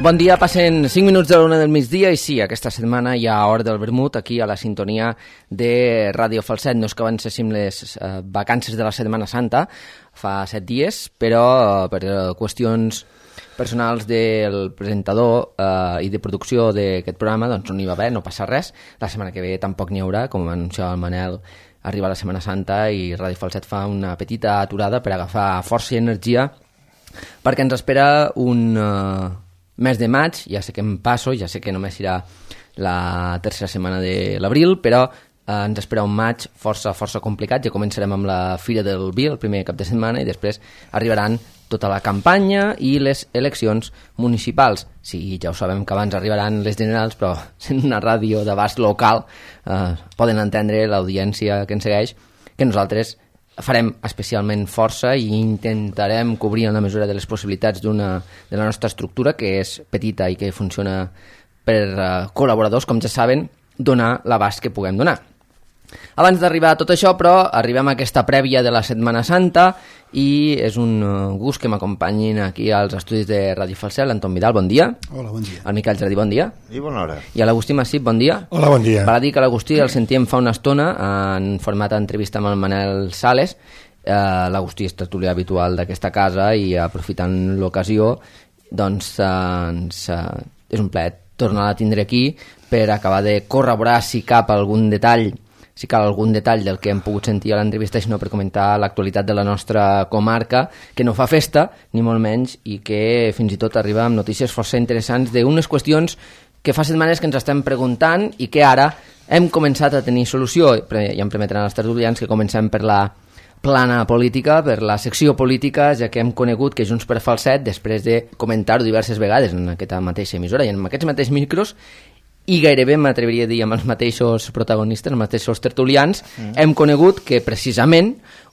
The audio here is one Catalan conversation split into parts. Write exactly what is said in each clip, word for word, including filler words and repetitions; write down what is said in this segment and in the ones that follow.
Bon dia, passen cinc minuts de l'una del migdia i sí, aquesta setmana hi ha Hora del Vermut aquí a la sintonia de Ràdio Falset. No és que avancéssim les eh, vacances de la Setmana Santa fa set dies, però eh, per eh, qüestions personals del presentador eh, i de producció d'aquest programa doncs no n'hi va haver, no passa res. La setmana que ve tampoc n'hi haurà, com anunciava el Manel, arriba la Setmana Santa i Ràdio Falset fa una petita aturada per agafar força i energia perquè ens espera un... Eh, mes de maig, ja sé que em passo, ja sé que només serà la tercera setmana de l'abril, però eh, ens espera un maig força, força complicat. Ja començarem amb la Fira del Vi el primer cap de setmana i després arribaran tota la campanya i les eleccions municipals. Sí, ja ho sabem que abans arribaran les generals, però sent una ràdio d'abast local eh, poden entendre l'audiència que ens segueix que nosaltres farem especialment força i intentarem cobrir en la mesura de les possibilitats d'una de la nostra estructura, que és petita i que funciona per uh, col·laboradors, com ja saben, donar l'abast que puguem donar. Abans d'arribar a tot això, però, arribem a aquesta prèvia de la Setmana Santa i és un uh, gust que m'acompanyin aquí als estudis de Ràdio Falset, l'Anton Vidal, bon dia. Hola, bon dia. El Miquel Jardí, bon dia. I bona hora. I a l'Agustí Massip, bon dia. Hola, bon dia. Val a dir que l'Agustí el sentíem fa una estona en format d'entrevista amb el Manel Sales. Eh, L'Agustí és tertulià habitual d'aquesta casa i aprofitant l'ocasió, doncs eh, ens, eh, és un plaer tornar a tindre aquí per acabar de corroborar si cap algun detall si cal algun detall del que hem pogut sentir a l'entrevista, sinó per comentar l'actualitat de la nostra comarca, que no fa festa, ni molt menys, i que fins i tot arriba amb notícies força interessants d'unes qüestions que fa setmanes que ens estem preguntant i que ara hem començat a tenir solució. Ja em permetran els tertulians que comencem per la plana política, per la secció política, ja que hem conegut que Junts per Falset, després de comentar-ho diverses vegades en aquesta mateixa emissora i en aquests mateixos micros, i gairebé m'atreviria a dir amb els mateixos protagonistes, els mateixos tertulians, mm. hem conegut que precisament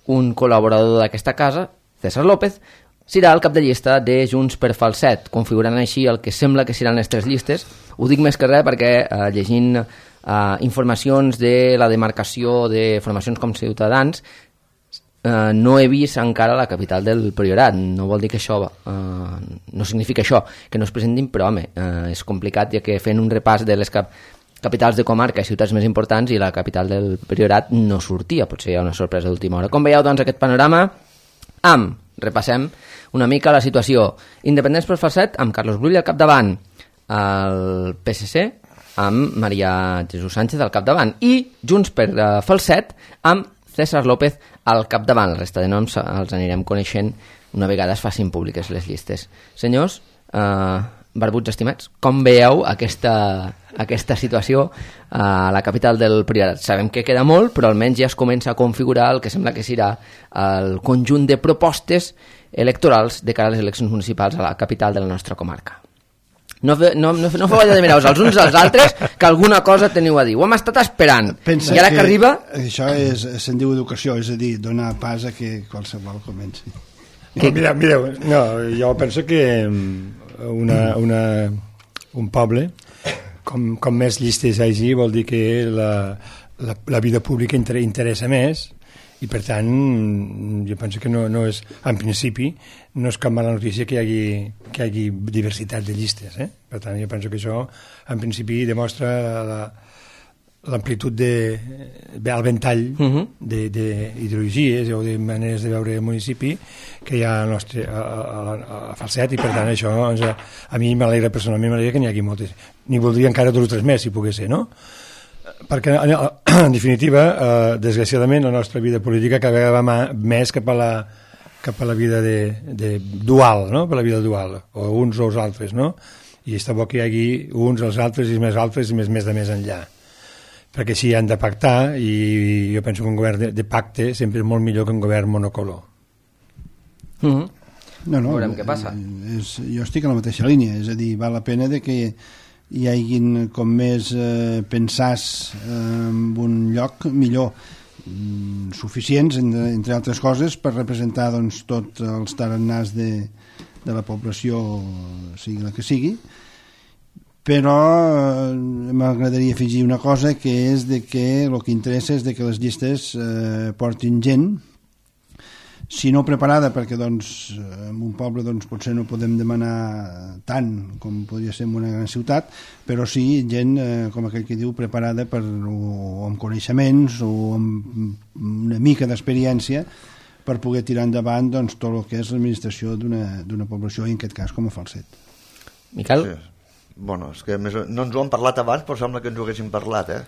un col·laborador d'aquesta casa, César López, serà el cap de llista de Junts per Falset, configurant així el que sembla que seran les tres llistes. Ho dic més que res perquè eh, llegint eh, informacions de la demarcació de formacions com Ciutadans, Uh, no he vist encara la capital del Priorat. No vol dir que això uh, no significa això, que no es presentin, però home, uh, és complicat, ja que fent un repàs de les cap capitals de comarca i ciutats més importants i la capital del Priorat no sortia, potser hi ha una sorpresa d'última hora. Com veieu, doncs, aquest panorama amb, repassem una mica la situació, Independents per Falset amb Carlos Brull al capdavant, el P S C amb Maria Jesús Sánchez al capdavant i Junts per uh, Falset amb César López al capdavant. La resta de noms els anirem coneixent una vegada es facin públiques les llistes. Senyors, eh, barbuts estimats, com veieu aquesta, aquesta situació a la capital del Priorat? Sabem que queda molt, però almenys ja es comença a configurar el que sembla que serà el conjunt de propostes electorals de cara a les eleccions municipals a la capital de la nostra comarca. No, no, no, no feu allò de mirar-vos els uns als altres, que alguna cosa teniu a dir. Ho hem estat esperant. Pensa I ara que, que arriba... Això és, se'n diu educació, és a dir, donar pas a que qualsevol comenci. Que... No, mireu, mireu, no, jo penso que una, una, un poble, com, com més llistes hi hagi, vol dir que la, la, la vida pública inter, interessa més, i per tant jo penso que no, no és, en principi no és cap mala notícia que hi hagi, que hi hagi diversitat de llistes, eh? Per tant jo penso que això en principi demostra la, l'amplitud de, el ventall uh-huh. d'ideologies o de maneres de veure el municipi que hi ha al nostre, a, a, a Falset, i per tant això doncs, a, a mi m'alegra personalment, m'alegra que n'hi hagi moltes, n'hi voldria encara dos o tres més si pogués ser, no? Perquè en definitiva eh, desgraciadament la nostra vida política cada vegada va més cap a la, cap a la vida de, de dual, no? Per la vida dual, o uns o els altres, no? I està bo que hi hagi uns, els altres i més altres i més, més de més enllà, perquè així han de pactar, i jo penso que un govern de, de pacte sempre és molt millor que un govern monocolor. Mm-hmm. No, no, veurem què passa. És, jo estic a la mateixa línia, és a dir, val la pena de que hi hagin com més eh, pensars eh, en un lloc millor, mm, suficients entre, entre altres coses per representar doncs, tots els tarannars de, de la població, sigui la que sigui, però eh, m'agradaria afegir una cosa, que és de que el que interessa és de que les llistes eh, portin gent si no preparada, perquè doncs, en un poble doncs, potser no podem demanar tant com podria ser en una gran ciutat, però sí gent, eh, com aquell que diu, preparada per, o amb coneixements o amb una mica d'experiència per poder tirar endavant doncs, tot el que és l'administració d'una població, i en aquest cas com a Falset. Miquel? Sí. Bueno, és que més, no ens ho han parlat abans, però sembla que ens ho haguéssim parlat, eh?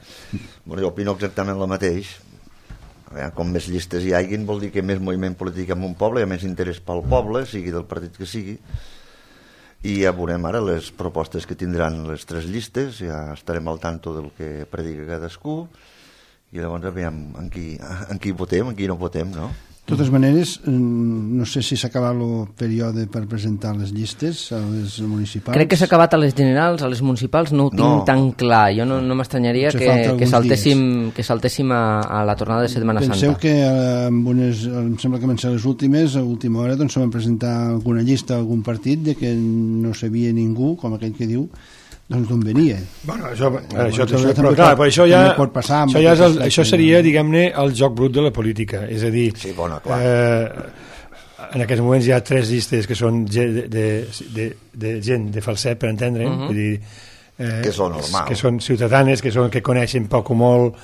Bueno, jo opino exactament el mateix. Com més llistes hi hagin vol dir que més moviment polític en un poble, hi ha més interès pel poble, sigui del partit que sigui, i ja veurem ara les propostes que tindran les tres llistes, ja estarem al tanto del que predica cadascú, i llavors aviam en qui, en qui votem, en qui no votem, no? De totes maneres, no sé si s'ha acabat el període per presentar les llistes a les municipals. Crec que s'ha acabat a les generals, a les municipals no ho tinc no. tan clar. Jo no, no m'estranyaria que, que saltéssim, que saltéssim a, a la tornada de Setmana Santa. Penseu que amb unes, em sembla que van ser les últimes, a última hora doncs se van presentar alguna llista, algun partit de que no sabia ningú, com aquell que diu, doncs d'on venia. Bueno, això, ara, això, també, això, però, clar, pot, això ja, pot passar això, ja és el, això seria, diguem-ne, el joc brut de la política. És a dir, sí, bueno, clar. Eh, en aquests moments hi ha tres llistes que són de, de, de, de gent de Falset, per entendre, uh -huh. vull dir, eh, que són normal. Que són ciutadanes, que, són, que coneixen poc o molt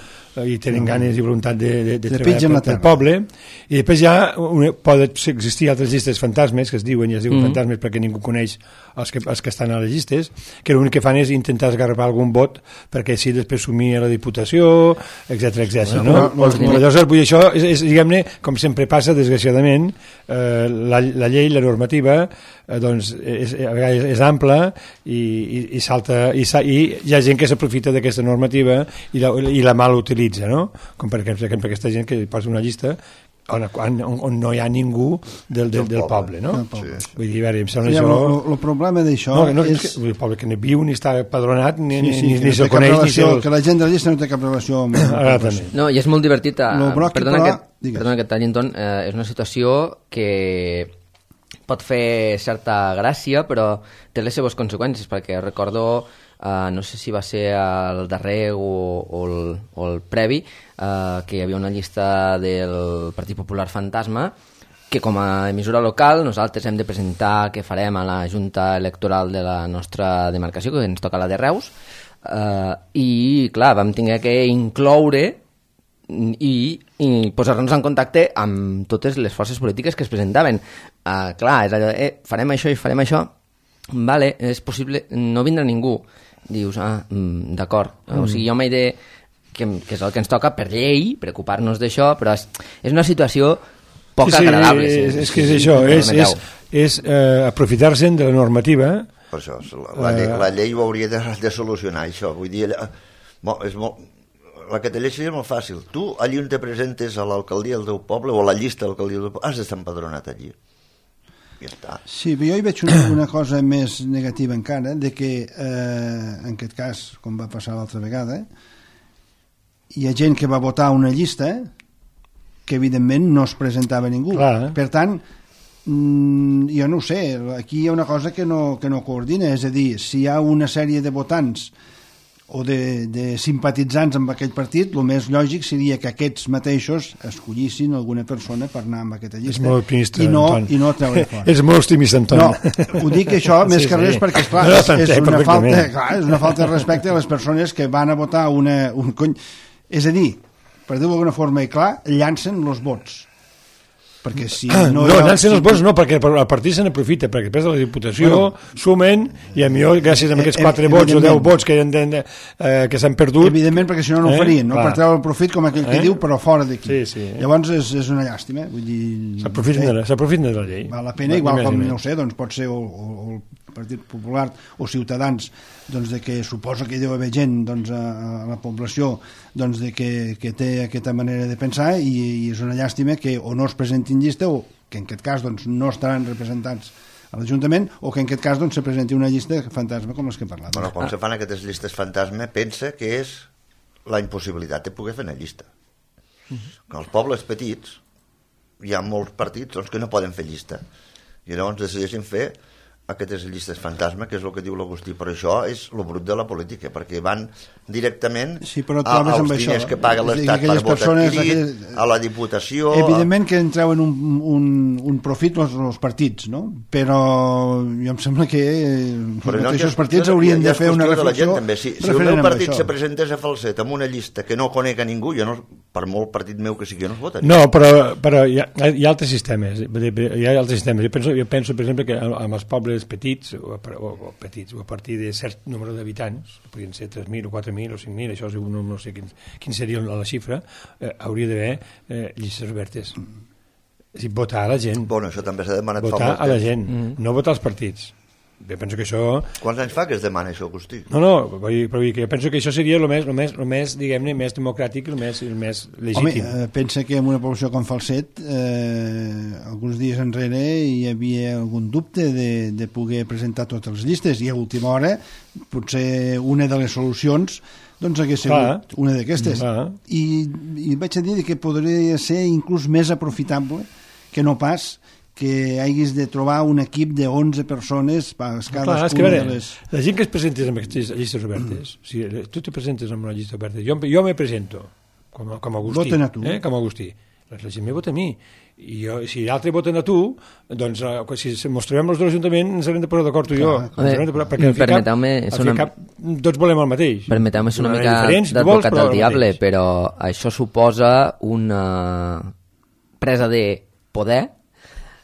i tenen ganes i voluntat de, de, de treballar pel poble, i després ja una, poden existir altres llistes fantasmes que es diuen, i es diuen mm. fantasmes perquè ningú coneix els que, els que estan a les llistes, que l'únic que fan és intentar esgarrapar algun vot perquè així després sumia a la Diputació, etcètera etcètera, no? no, no, no. Llavors, vull dir, això és, és diguem-ne, com sempre passa, desgraciadament, eh, la, la llei, la normativa, eh, doncs, és, a vegades és ampla i, i, i salta, i, i hi ha gent que s'aprofita d'aquesta normativa i la, i la mal utilitza, no? Com per exemple aquesta gent que posa una llista on, on, on no hi ha ningú del, del, del poble, no? Sí. Vull dir, a veure, em sembla sí, això... El problema d'això no, no, és... és que, el poble que no viu ni està padronat ni, sí, sí, ni, ni no se'l coneix relació, ni se'l... que la gent de la llista no té cap relació amb... Ara també. No, i és molt divertit a... Broc, perdona, però... que, perdona que et tallin, Ton, eh, és una situació que pot fer certa gràcia, però té les seves conseqüències, perquè recordo... Uh, no sé si va ser el darrer o, o, el, o el previ, uh, que hi havia una llista del Partit Popular Fantasma que com a emissora local nosaltres hem de presentar què farem a la Junta Electoral de la nostra demarcació, que ens toca la de Reus, uh, i clar, vam tenir que incloure i, i posar-nos en contacte amb totes les forces polítiques que es presentaven. Uh, clar, és allò, eh, farem això i farem això, vale, és possible, no vindrà ningú. Dius, ah, mm, d'acord. Mm. O sigui, jo m'he de... Que, que és el que ens toca per llei, preocupar-nos d'això, però és, és una situació poc sí, sí, agradable. És, sí, és que és això, és, és, és eh, aprofitar-se'n de la normativa. Per això, la, la, llei, la llei ho hauria de, de solucionar, això. Vull dir, bo, és molt, la que te llei seria molt fàcil. Tu, allí on te presentes a l'alcaldia del teu poble, o a la llista de l'alcaldia del teu poble, has d'estar empadronat allí. Ja està. Sí, però jo hi veig una, una cosa més negativa encara, de que eh, en aquest cas, com va passar l'altra vegada, hi ha gent que va votar una llista que evidentment no es presentava ningú. Clar. Per tant, mm, jo no ho sé, aquí hi ha una cosa que no, que no coordina, és a dir, si hi ha una sèrie de votants o de, de simpatitzants amb aquell partit, el més lògic seria que aquests mateixos escollissin alguna persona per anar amb aquesta llista. És molt optimista, i no, Anton. i no treure fora. És molt optimista, Anton. No, ho dic això més sí, que res sí. perquè, esclar, no, és, és, una falta, clar, és una falta de respecte a les persones que van a votar una... Un cony... És a dir, per dir-ho d'alguna forma i clar, llancen els vots. Perquè si no... No, no llancen els vots no, perquè el partit se n'aprofita, perquè després de la Diputació bueno, sumen, i a millor gràcies a aquests quatre vots o deu vots que, eh, que s'han perdut... Evidentment, perquè si no no ho farien, no? Per treure el profit, com aquell que eh? diu, però fora d'aquí. Sí, sí. Llavors és, és una llàstima. Vull dir... S'aprofiten de, de la llei. Val la pena, igual com, no ho sé, doncs pot ser o, o, o el Partit Popular o Ciutadans, doncs de que suposa que hi deu haver gent doncs, a, a la població doncs de que, que té aquesta manera de pensar i, i és una llàstima que o no es presentin llista o que en aquest cas doncs, no estaran representats a l'Ajuntament o que en aquest cas doncs, se presenti una llista fantasma com les que he parlat. Bueno, quan ah. se fan aquestes llistes fantasma pensa que és la impossibilitat de poder fer una llista. Uh-huh. Als pobles petits hi ha molts partits doncs, que no poden fer llista i llavors decideixen fer aquestes llistes fantasma, que és el que diu l'Agustí, però això és el brut de la política, perquè van directament sí, però a, als diners això, que paga l'Estat per vot adquirit, aquelles... a la Diputació... Evidentment que en treuen un, un, un profit els, els partits, no? Però jo em sembla que però els mateixos no, partits haurien de fer una reflexió... De si, si el meu partit se presentés a falset amb una llista que no conec a ningú, jo no, per molt partit meu que sigui, jo no es votaria. No, però, però hi, ha, hi ha altres sistemes. Hi ha altres sistemes. Jo penso, jo penso per exemple, que amb els pobles petits o, o, o petits o a partir de cert número d'habitants, podrien ser tres mil o quatre mil o cinc mil, això no, no sé quin, quin seria la xifra, eh, hauria d'haver eh, llistes obertes. És a dir, votar a la gent. Bueno, això també s'ha demanat votar fa molt a la temps. gent, mm. no votar als partits. Jo penso que això... Quants anys fa que es demana això, Agustí? No, no, però vull que jo penso que això seria el més, el més, el més diguem-ne, més democràtic, el més, el més legítim. Home, eh, pensa que en una població com Falset, eh, alguns dies enrere hi havia algun dubte de, de poder presentar totes les llistes, i a última hora potser una de les solucions doncs hagués sigut Clar. una d'aquestes. I, I vaig a dir que podria ser inclús més aprofitable que no pas que haguis de trobar un equip de onze persones per cadascuna és que, veure, de les... La gent que es presentés amb aquestes llistes obertes, mm. si tu te presentes amb una llista oberta, jo, jo me presento com, com a Agustí. Voten a tu. Eh, com a Agustí. La gent me vota a mi. I jo, si l'altre voten a tu, doncs si ens trobem els dos l'Ajuntament ens haurem de posar d'acord tu i jo. Perquè al fi cap, al fi cap tots volem el mateix. Permeteu-me ser una mica d'advocat del diable, però això suposa una presa de poder,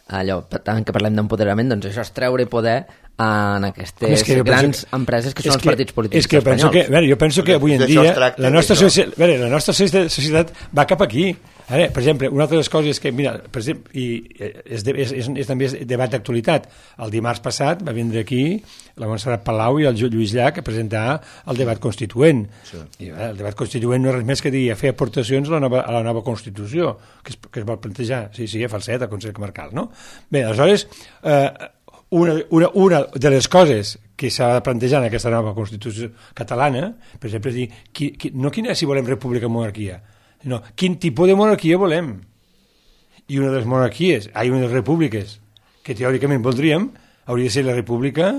allò, tant que parlem d'empoderament, doncs això és treure poder en aquestes que grans penso, empreses que són els que, partits polítics és que espanyols. Penso que, veure, jo penso que avui en dia la nostra, societat, veure, la nostra societat va cap aquí. Ara, per exemple, una altra de les coses que, mira, per exemple, i és, de, és, és, és també debat d'actualitat. El dimarts passat va vindre aquí la Montserrat Palau i el Lluís Llach a presentar el debat constituent. Sí. I, eh, el debat constituent no és res més que dir a fer aportacions a la nova, a la nova Constitució que es, que es vol plantejar. Sí, sí, a falset, al Consell Comarcal, no? Bé, aleshores, eh, una, una, una de les coses que s'ha de plantejar en aquesta nova Constitució catalana, per exemple, és dir, qui, qui, no quina és si volem república o monarquia, no, quin tipus de monarquia volem. I una de les monarquies, hi ha una de les repúbliques que teòricament voldríem, hauria de ser la república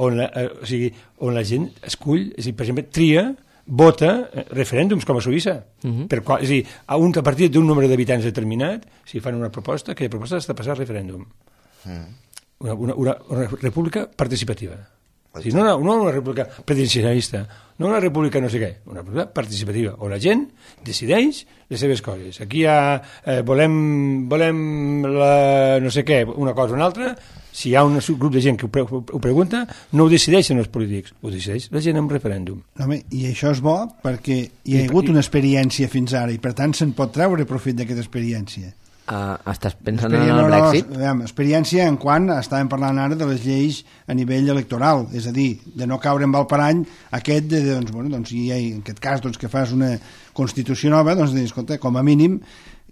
on la, eh, o sigui, on la gent escull, és a dir, per exemple, tria, vota eh, referèndums com a Suïssa. Uh-huh. Per qual, és a dir, a, un, a partir d'un nombre d'habitants determinat, si fan una proposta, aquella proposta està passar a referèndum. Uh-huh. Una, una, una, una república participativa. O sigui, no, una, no una república presidencialista, no una república no sé què, una república participativa, on la gent decideix les seves coses. Aquí hi ha, eh, volem, volem la, no sé què, una cosa o una altra, si hi ha un grup de gent que ho, pre ho, ho pregunta, no ho decideixen els polítics, ho decideix la gent en referèndum. Home, i això és bo perquè hi ha I, hagut i, una experiència fins ara i per tant se'n pot treure profit d'aquesta experiència. Uh, estàs pensant en el Brexit? No, no, experiència en quan estàvem parlant ara de les lleis a nivell electoral, és a dir, de no caure en el parany aquest de, doncs, bueno, doncs, i en aquest cas doncs, que fas una Constitució nova, doncs, escolta, com a mínim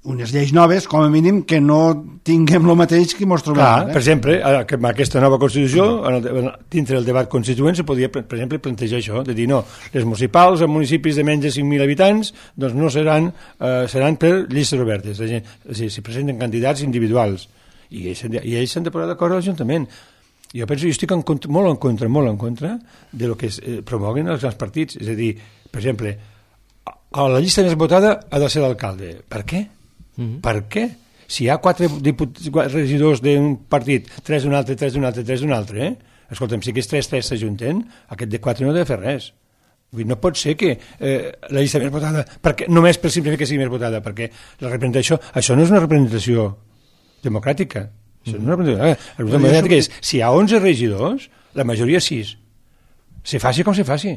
unes lleis noves, com a mínim que no tinguem el mateix que mos trobem. Clar, eh? per exemple, amb aquesta nova Constitució, en el, dintre del debat constituent, se podria, per exemple, plantejar això, de dir, no, les municipals en municipis de menys de cinc mil habitants, doncs no seran, eh, seran per llistes obertes, la gent, o sigui, si presenten candidats individuals, i ells, i ells s'han de posar d'acord a l'Ajuntament. Jo penso, jo estic en contra, molt en contra, molt en contra de lo que es, eh, promoguen els grans partits, és a dir, per exemple, a la llista més votada ha de ser l'alcalde. Per què? Mm-hmm. Per què? Si hi ha quatre, quatre regidors d'un partit, tres d'un altre, tres d'un altre, tres d'un altre, eh? Escolta'm, si aquests tres, tres s'ajunten, aquest de quatre no ha de fer res. Vull dir, no pot ser que eh, la llista més votada, perquè, només per simplement que sigui més votada, perquè la representació, això no és una representació democràtica. Això mm-hmm. no és una representació, la representació democràtica és, si hi ha onze regidors, la majoria sis. Se faci com se faci.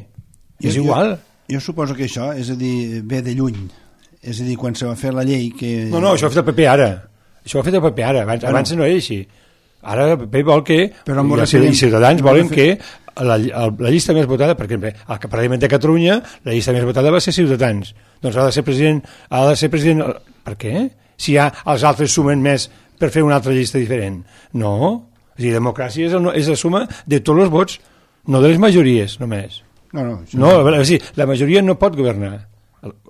Jo, és igual. Jo, jo suposo que això, és a dir, ve de lluny. És a dir, quan se va fer la llei que... No, no, això ho ha fet el P P ara. Això ho ha fet el P P ara. Abans, bueno. abans no era així. Ara el P P vol que... Però i els ciutadans volen que la, la llista més votada, perquè al Parlament de Catalunya la llista més votada va ser Ciutadans. Doncs ha de ser president... Ha de ser president... Per què? Si ja els altres sumen més per fer una altra llista diferent. No. És a dir, democràcia és, el, és la suma de tots els vots, no de les majories, només. No, no. Això no, és a dir, la majoria no pot governar.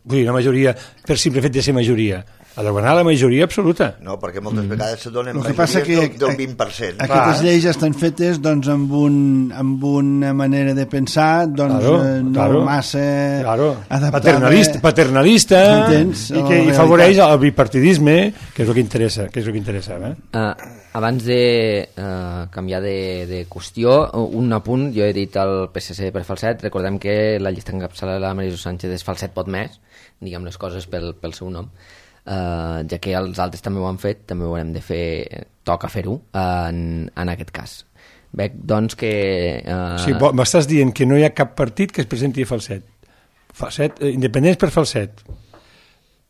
Vull dir, la majoria, per simple fet de ser majoria. ha de guanyar la majoria absoluta. No, perquè moltes mm. vegades se donen que passa majories que del, del vint per cent. Aquestes lleis estan fetes doncs, amb, un, amb una manera de pensar doncs, claro, eh, no claro, massa claro. adaptada. Paternalista, paternalista i que i favoreix el bipartidisme, que és el que interessa. Que és el que interessa eh? uh, abans de uh, canviar de, de qüestió, un apunt, jo he dit el P S C per Falset, recordem que la llista encapçalada de la Maria Jesús Sánchez és Falset pot més, diguem les coses pel, pel seu nom. Uh, ja que els altres també ho han fet, també ho haurem de fer, toca fer-ho en, en aquest cas. Veig, doncs, que... Uh... Sí, m'estàs dient que no hi ha cap partit que es presenti a Falset. Falset, eh, independents per Falset.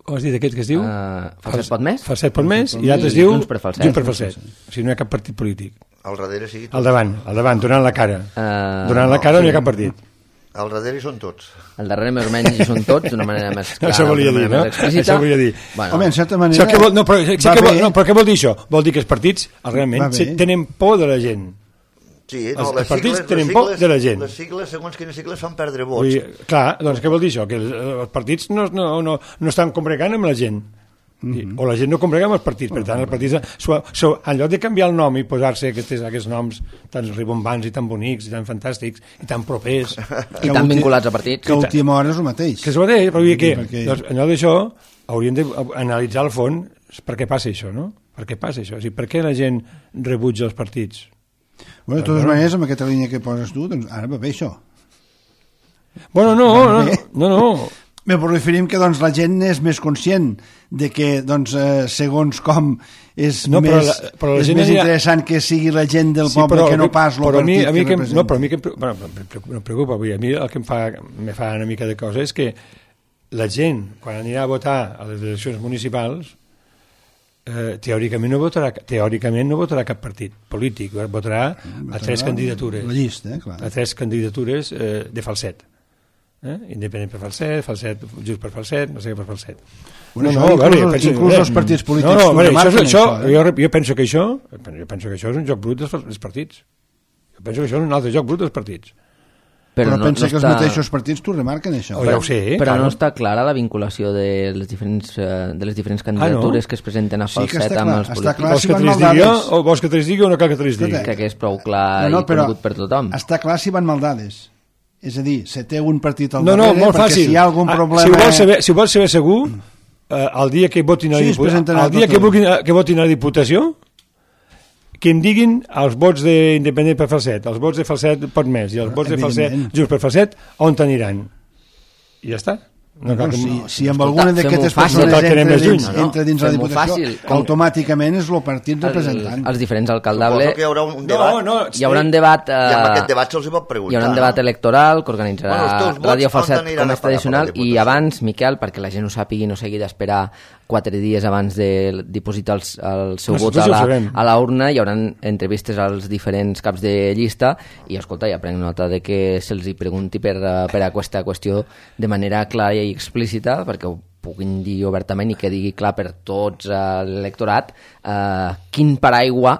Com has dit aquest que es diu? Uh, Falset pot més? Falset pot més, i l'altre es diu Junts per Falset. Junts per Falset. O sigui, no hi ha cap partit polític. Al darrere sí. Al davant, al davant, donant la cara. Uh, donant la cara no, sí. No hi ha cap partit. Al darrere hi són tots. Al darrere més o menys hi són tots, d'una manera més clara, això volia dir, no? Això volia dir. Bueno. Home, en certa manera... Això que vol, no, però, sí que vol, no, però què vol dir això? Vol dir que els partits realment tenen por de la gent. Sí, no, els, les els partits sigles, tenen les por de la gent. Les sigles, segons quines sigles, fan perdre vots. Dir, clar, doncs què vol dir això? Que els, els partits no, no, no, no estan combregant amb la gent. Mm-hmm. O la gent no combregà amb els partits, per tant els partits so, so, en lloc de canviar el nom i posar-se aquests, aquests noms tan ribombants i tan bonics i tan fantàstics i tan propers i tan vinculats a partits, que a última hora és el mateix, que és el mateix, però vull dir que perquè... doncs, en lloc d'això hauríem d'analitzar al fons per què passa això, no? Per què passa això? O sigui, per què la gent rebutja els partits? Bueno, de totes maneres, amb aquesta línia que poses tu, doncs ara va bé això. Bueno, no, no, no, no. Bé, però referim que doncs, la gent és més conscient de que doncs, eh, segons com és, no, més, però la, però la és més interessant ha... que sigui la gent del sí, poble però, que no pas el partit mi, a mi que, que no, però a mi que bueno, no em preocupa, a mi el que em fa, me fa una mica de cosa és que la gent, quan anirà a votar a les eleccions municipals, eh, teòricament no votarà teòricament no votarà cap partit polític, votarà a tres candidatures, la llista, eh, clar. a tres candidatures eh, de Falset. Eh? Independent per Falset, Falset, just per Falset, no sé què per Falset. Bueno, no, no, vale, penso, inclús eh, els partits polítics no, no, vale, això, això, això eh? jo, jo penso que això jo penso que això és un joc brut dels, dels partits. Jo penso que això és un altre joc brut dels partits. Però, però no, pensa no que està... els mateixos partits t'ho remarquen, això. Oh, ja ho sé, però claro. No està clara la vinculació de les diferents, de les diferents candidatures ah, no? que es presenten a Falset sí amb els polítics. Clar, vols, que si digui, o vols que te les digui o no cal que te les digui? Crec que és prou clar no, no, i conegut per tothom. Està clar si van maldades. És a dir, se té un partit al no, darrere, no, molt perquè fàcil. Si hi ha algun problema... Si ho vols saber, si ho vols saber segur, eh, el dia que votin a, sí, dipu... el dia que, votin, que votin a la Diputació, que em diguin els vots d'Independent per Falset, els vots de Falset pot més, i els vots de Falset, just per Falset, on t'aniran? I ja està. No, no, si, si amb alguna d'aquestes persones entra dins, no, no, entra dins la Diputació, automàticament és el partit representant. Els diferents alcaldables... Suposo que hi haurà un debat. No, no, hi haurà un debat... Eh, I amb aquest debat se'ls pot preguntar. Hi haurà un debat electoral que organitzarà bueno, Ràdio Falset com és tradicional i abans, Miquel, perquè la gent ho sàpigui i no s'hagi d'esperar quatre dies abans de dipositar el, el seu vot a la, a la urna, hi haurà entrevistes als diferents caps de llista i, escolta, ja prenc nota de que se'ls hi pregunti per, per aquesta qüestió de manera clara i explícita, perquè ho puguin dir obertament i que digui clar per tots uh, l'electorat uh, quin paraigua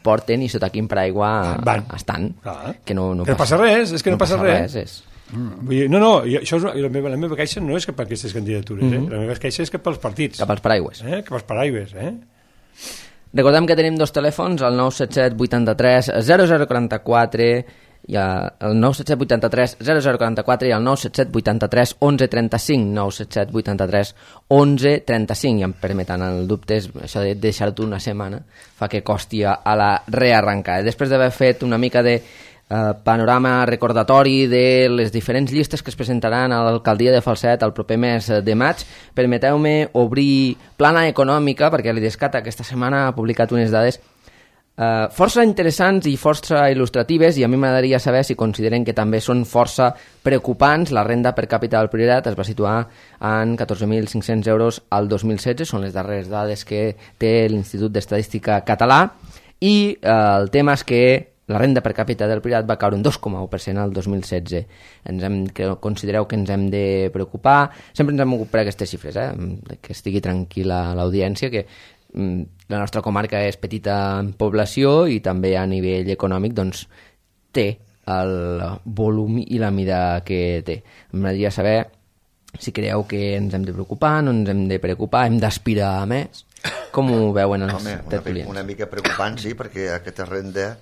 porten i sota quin paraigua Van. estan. Ah. Que no, no que passa, passa res, és que no, no passa, passa res. res és. Mm. Vull dir, no, no, això és, la, meva, la meva queixa no és cap a aquestes candidatures, mm-hmm. eh? La meva queixa és cap als partits. Cap als paraigües. Eh? Cap als paraigües, eh? Recordem que tenim dos telèfons, el nou set set vuitanta-tres zero zero quaranta-quatre i el nou set set vuitanta-tres zero zero quaranta-quatre i el nou set set vuitanta-tres onze trenta-cinc, nou set set vuitanta-tres onze trenta-cinc, i em permeten el dubte, això de deixar-t'ho una setmana fa que costi a la rearrencada. Després d'haver fet una mica de Uh, panorama recordatori de les diferents llistes que es presentaran a l'alcaldia de Falset el proper mes de maig, permeteu-me obrir plana econòmica, perquè l'Idescat aquesta setmana ha publicat unes dades uh, força interessants i força il·lustratives, i a mi m'agradaria saber si consideren que també són força preocupants. La renda per càpita del Priorat es va situar en catorze mil cinc-cents euros al dos mil setze, són les darreres dades que té l'Institut d'Estadística Català, i uh, el tema és que la renda per càpita del Priorat va caure un dos coma u per cent al dos mil setze. Ens hem, que considereu que ens hem de preocupar? Sempre ens hem ocupat per aquestes xifres, eh? Que estigui tranquil·la l'audiència, que mm, la nostra comarca és petita en població i també a nivell econòmic doncs, té el volum i la mida que té. M'agradaria saber si creieu que ens hem de preocupar, no ens hem de preocupar, hem d'aspirar a més. Com ho veuen els Home, tertulians? Una, una mica preocupant, sí, perquè aquesta renda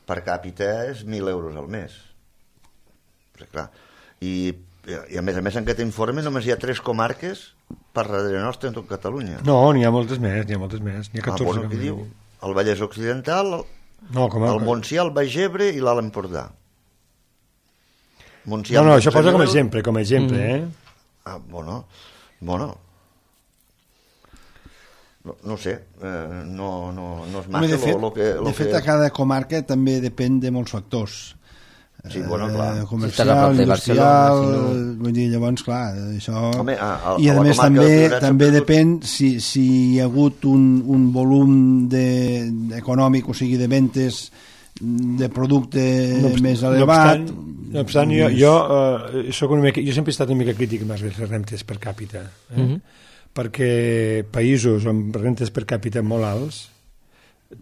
per càpita és mil euros al mes. Però, clar, i, i a més a més en aquest informe només hi ha tres comarques per darrere nostra en tot Catalunya. No, n'hi ha moltes més, n'hi ha moltes més. N'hi ha catorze. Ah, bueno, què diu? El Vallès Occidental, el, no, com a... el Montsià, el Baix Ebre i l'Alt Empordà. Montsià, no, no, això posa com a exemple, com a exemple, mm. eh? Ah, bueno, bueno. No, no sé, eh, no, no, no és massa de fet, lo, lo que... Lo de fet, que... a cada comarca també depèn de molts factors. Sí, bueno, clar. Eh, comercial, si industrial, si no... vull dir, llavors, clar, això... Home, a, a, I a, a més també també perdut... depèn si, si hi ha hagut un, un volum de, econòmic, o sigui, de ventes de producte no obstant, més elevat. No obstant, no obstant jo, jo, uh, soc una mica, jo sempre he estat una mica crític amb les rentes per càpita, eh? Mm-hmm. Perquè països amb rentes per càpita molt alts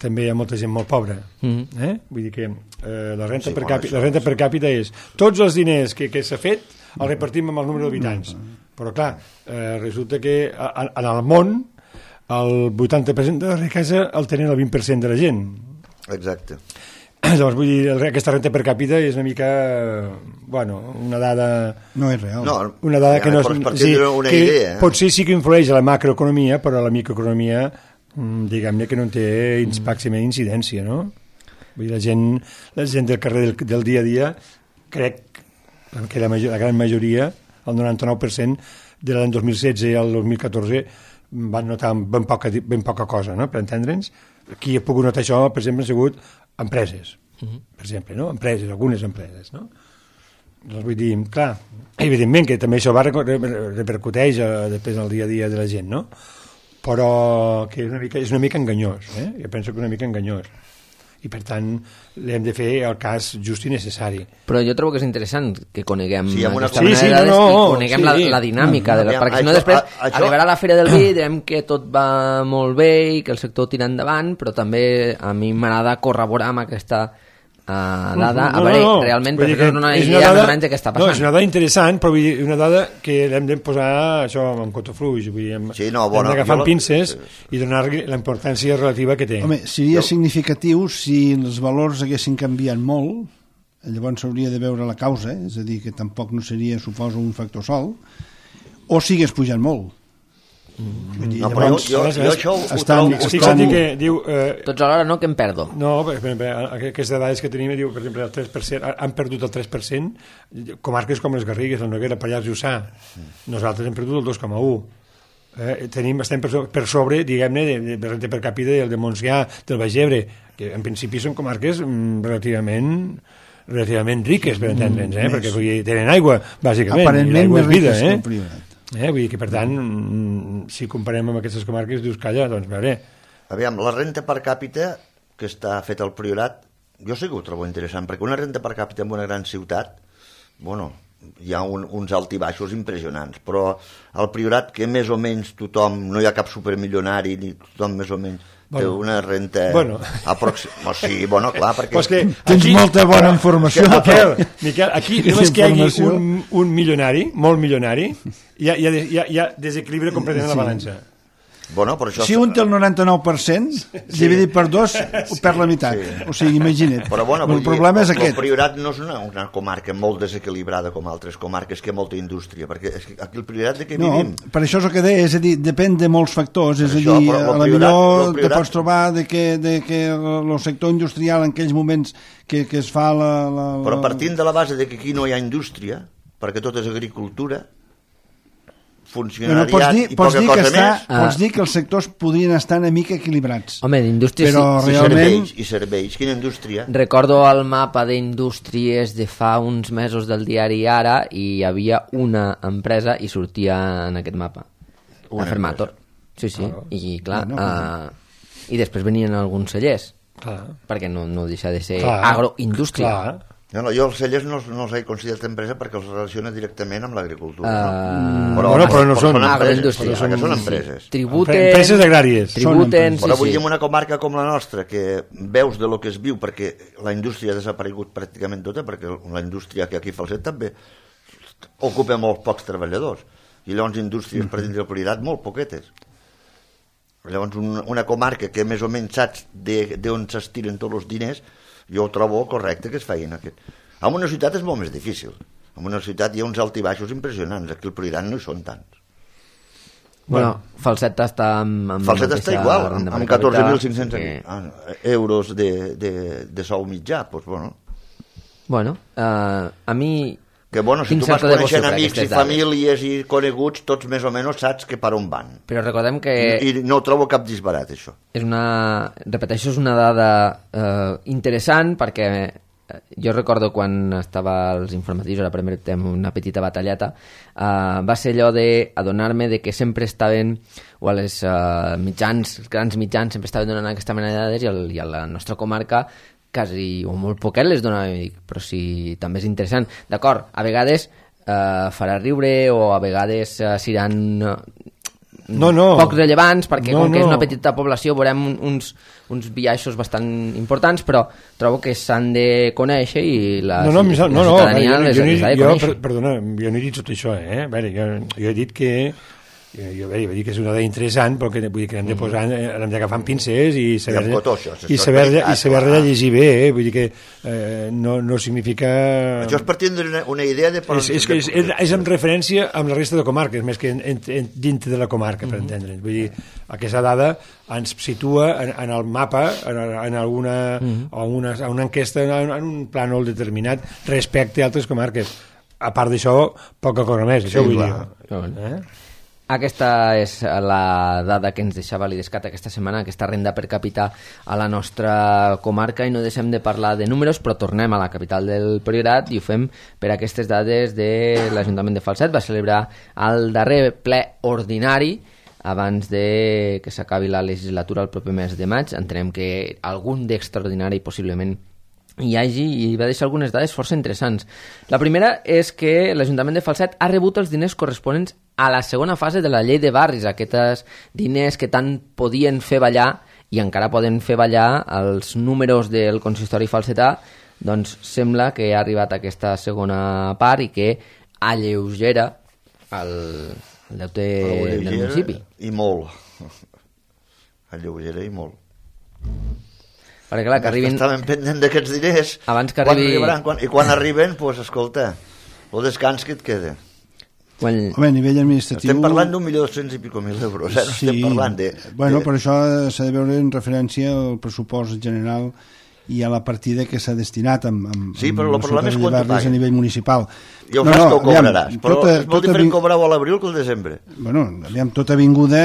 també hi ha molta gent molt pobra. Mm-hmm. eh? Vull dir que eh, la, renta sí, per càpita, la renta per càpita és tots els diners que, que s'ha fet els repartim amb el número d'habitants. Mm-hmm. Però clar, eh, resulta que en, en el món el vuitanta per cent de la riquesa el tenen el vint per cent de la gent. Exacte. Llavors, vull dir, aquesta renta per càpita és una mica, bueno, una dada... No és real. No, una dada ja que no és... Sí, una que idea. Potser sí que influeix a la macroeconomia, però a la microeconomia, diguem-ne que no en té màxima incidència, no? Vull dir, la gent, la gent del carrer del, del dia a dia, crec que la, major, la gran majoria, el noranta-nou per cent de l'any dos mil setze al dos mil catorze, van notar ben poca, ben poca cosa, no?, per entendre'ns. Qui ha pogut notar això, per exemple, han sigut empreses, uh-huh. per exemple, no? Empreses, algunes empreses, no? Doncs vull dir, clar, evidentment que també això va repercuteix a, després al dia a dia de la gent, no? Però que és una mica, és una mica enganyós, eh? Jo penso que una mica enganyós. I per tant l'hem de fer el cas just i necessari. Però jo trobo que és interessant que coneguem sí, aquesta sí, manera sí, de no, i no, coneguem sí. la, la dinàmica, de la, perquè si no això, després a, això... arribarà la Fira del Vi i direm que tot va molt bé i que el sector tira endavant, però també a mi m'agrada corroborar amb aquesta uh, dada, no, a veure, no, no. realment per fer una idea una dada, més o menys de què està passant. No, és una dada interessant, però vull dir, una dada que l'hem de posar això amb cotofluix, vull dir, amb, sí, no, bueno, hem d'agafar jo... pinces i donar-li la importància relativa que té. Home, seria jo... significatiu si els valors haguessin canviat molt, llavors s'hauria de veure la causa, és a dir, que tampoc no seria, suposo, un factor sol, o sigués pujant molt. Mm. Dir, no, però jo, jo, jo això ho, estan, ho trobo... Fixa't que diu... Eh, Tots alhora no, que em perdo. No, per exemple, aquestes dades que tenim, diu, per exemple, el tres per cent, han perdut el tres per cent, comarques com les Garrigues, la Noguera, Pallars Jussà. Nosaltres hem perdut el dos coma u. Eh, tenim, estem per, per sobre, diguem-ne, de, de renta per càpita del de Montsià, del Baix Ebre, que en principi són comarques mm, relativament relativament riques, per entendre'ns, eh? Mm, perquè vull dir, tenen aigua, bàsicament. Aparentment aigua més és vida, riques eh? que el privat. Eh, vull dir que, per tant, si comparem amb aquestes comarques, dius, calla, doncs, a veure... Aviam, la renta per càpita que està feta al Priorat, jo sí que ho trobo interessant, perquè una renta per càpita en una gran ciutat, bueno, hi ha un, uns alt i baixos impressionants, però al Priorat, que més o menys tothom, no hi ha cap supermilionari, ni tothom més o menys té bueno, una renta... Bueno. Aproxim... Oh, sí, bueno, clar, perquè... Pues que tens aquí, molta bona informació. Que, Miquel, Miquel, aquí només que hi hagi un, un milionari, molt milionari, ja, ja, ja, ja desequilibra completament sí. la balança. Bueno, però això... Si un té el noranta-nou per cent, sí. dividit per dos, ho perd la meitat. Sí. O sigui, imagina't. Però bueno, el problema dir, és aquest. El Priorat no és una, una comarca molt desequilibrada com altres comarques, que hi ha molta indústria, perquè és que aquí el Priorat de què no, vivim? Per això és el que deia, és a dir, depèn de molts factors, és això, a dir, a la priorat, millor priorat... te pots trobar de que, de que el sector industrial en aquells moments que, que es fa la, la, la... Però partint de la base de que aquí no hi ha indústria, perquè tot és agricultura, funcionariat pots dir, i pots poca dir cosa està, més... Pots dir que els sectors podrien estar una mica equilibrats. Home, d'indústria però sí, realment... serveis, i serveis, quina indústria? Recordo el mapa d'indústries de fa uns mesos del diari Ara i hi havia una empresa i sortia en aquest mapa. Una Fermator. Sí, sí. Ah, I clar, no, no, no. Uh, i després venien alguns cellers. Clar. Perquè no, no deixa de ser clar. Agroindústria. Clar. No, no, jo els cellers no, no els he considerat empresa perquè els relaciona directament amb l'agricultura. Uh, no? Però, bueno, però no són agroindústria. Són, són empreses. Sí. Tributen, empreses agràries. Tributen, sí, però vull sí. dir, en una comarca com la nostra, que veus de lo que es viu, perquè la indústria ha desaparegut pràcticament tota, perquè la indústria que aquí fa el set també ocupa molts pocs treballadors. i llavors indústries per dins del Priorat molt poquetes. Llavors una, una comarca que més o menys saps d'on s'estiren tots els diners, jo ho trobo correcte que es feien aquest. En una ciutat és molt més difícil. En una ciutat hi ha uns altibaixos impressionants, aquí al Priorat no hi són tants. Bueno, Falset està amb, amb Falset està igual, amb, amb catorze mil cinc-cents que... euros de, de, de sou mitjà, doncs bueno. Bueno, uh, a mi... Que bueno, si tu vas coneixent amics i famílies i coneguts, tots més o menys saps que per on van. Però recordem que... I, i no ho trobo cap disbarat, això. És una... Repeteixo, és una dada eh, interessant, perquè jo recordo quan estava als informatius, ara permetem una petita batallata, eh, va ser allò d'adonar-me de que sempre estaven, o a les eh, mitjans, els grans mitjans, sempre estaven donant aquesta mena de dades, i, el, i a la nostra comarca quasi o molt poquet les donava, però sí, també és interessant. D'acord, a vegades eh, farà riure o a vegades eh, seran eh, no, no. poc rellevants, perquè no, com que no. és una petita població veurem uns, uns biaixos bastant importants, però trobo que s'han de conèixer i la, no, no, la no, no, ciutadania no, les, jo, les ha de jo, conèixer. per, perdona, jo no he dit tot això, eh? A veure, jo, jo he dit que jo, jo, jo vaig dir que és una dada interessant, però que, vull dir que hem de posar, hem d'agafar amb pinces i saber, I cotó, i saber, i saber llegir bé, eh? Vull dir que eh, no, no significa... Això és per tindre una, una idea de... És, és, és, és, és en referència amb la resta de comarques, més que en, en, en, dintre de la comarca, per mm-hmm. entendre'ns. Vull dir, aquesta dada ens situa en, en el mapa, en, en alguna, mm-hmm. o en una, en una enquesta, en, en un plànol determinat respecte a altres comarques. A part d'això, poca cosa més, això sí, vull clar. dir. Eh? Aquesta és la dada que ens deixava l'Idescat aquesta setmana, aquesta renda per capita a la nostra comarca, i no deixem de parlar de números, però tornem a la capital del Priorat i ho fem per aquestes dades de l'Ajuntament de Falset. Va celebrar el darrer ple ordinari abans de que s'acabi la legislatura el proper mes de maig. Entenem que algun d'extraordinari possiblement hi hagi, i va deixar algunes dades força interessants. La primera és que l'Ajuntament de Falset ha rebut els diners corresponents a la segona fase de la llei de barris, aquests diners que tant podien fer ballar i encara poden fer ballar els números del consistori falsetà. Doncs sembla que ha arribat aquesta segona part i que alleugera el, el deute del municipi. I molt. Alleugera i molt. Perquè clar, que arribin... Estaven pendent d'aquests diners. Abans que arribi... Quan quan... I quan arriben, doncs, pues, escolta, el descans que et queda. Quan... Home, a nivell administratiu... Estem parlant d'un milió dos-cents i pico mil euros, eh? No sí. estem parlant de... Bueno, de... per això s'ha de veure en referència al pressupost general i a la partida que s'ha destinat amb, amb, sí, però el problema és quan a nivell municipal. Ja ho no, saps no, que ho cobraràs, aviam, però tota, és molt diferent vi... cobrar-ho a l'abril que al desembre. Bueno, aviam, tota vinguda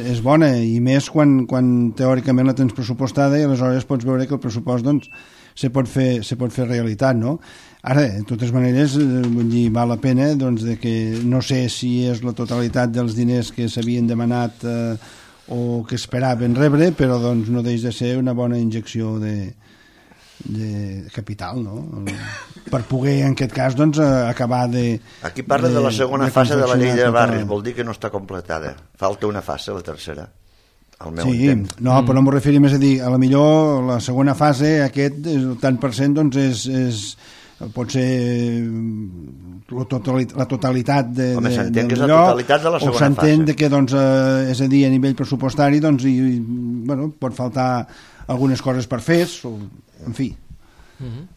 és bona, i més quan, quan teòricament la tens pressupostada i aleshores pots veure que el pressupost doncs, se, pot fer, se pot fer realitat, no? Ara, de totes maneres, vull dir, val la pena doncs, de que no sé si és la totalitat dels diners que s'havien demanat eh, o que esperaven rebre, però doncs, no deix de ser una bona injecció de de capital, no? Per poder, en aquest cas, doncs, acabar de... Aquí parla de, de la segona de fase de la llei de barris, vol dir que no està completada. Falta una fase, la tercera, al meu sí, intent. No, però no m'ho referia més a dir, a la millor la segona fase, aquest, el tant per cent, doncs, és... és pot ser la totalitat de, Home, de, s'entén que és la lloc, totalitat de la segona o s'entén fase. Que, doncs, eh, és a dir, a nivell pressupostari, doncs, i, bueno, pot faltar algunes coses per fer, o, en fi. Mm-hmm.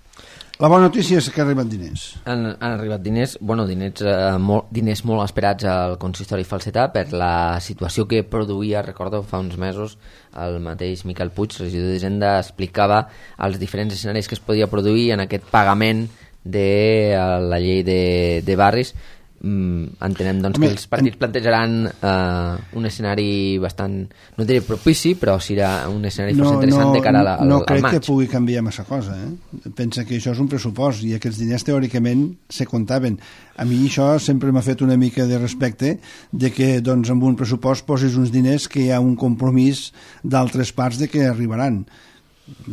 La bona notícia és que han arribat diners. Han, han arribat diners, bueno, diners, eh, molt, diners molt esperats al consistori falsetà per la situació que produïa, recordo, fa uns mesos, el mateix Miquel Puig, regidor d'Hisenda, explicava els diferents escenaris que es podia produir en aquest pagament de la llei de, de barris. Mm, entenem doncs, Home, que els partits en... plantejaran uh, un escenari bastant, no diré propici, però serà un escenari no, força interessant no, de cara a la, al, no al crec maig. Que pugui canviar massa cosa, eh? Pensa que això és un pressupost i aquests diners teòricament se comptaven. A mi això sempre m'ha fet una mica de respecte de que doncs, amb un pressupost posis uns diners que hi ha un compromís d'altres parts de que arribaran,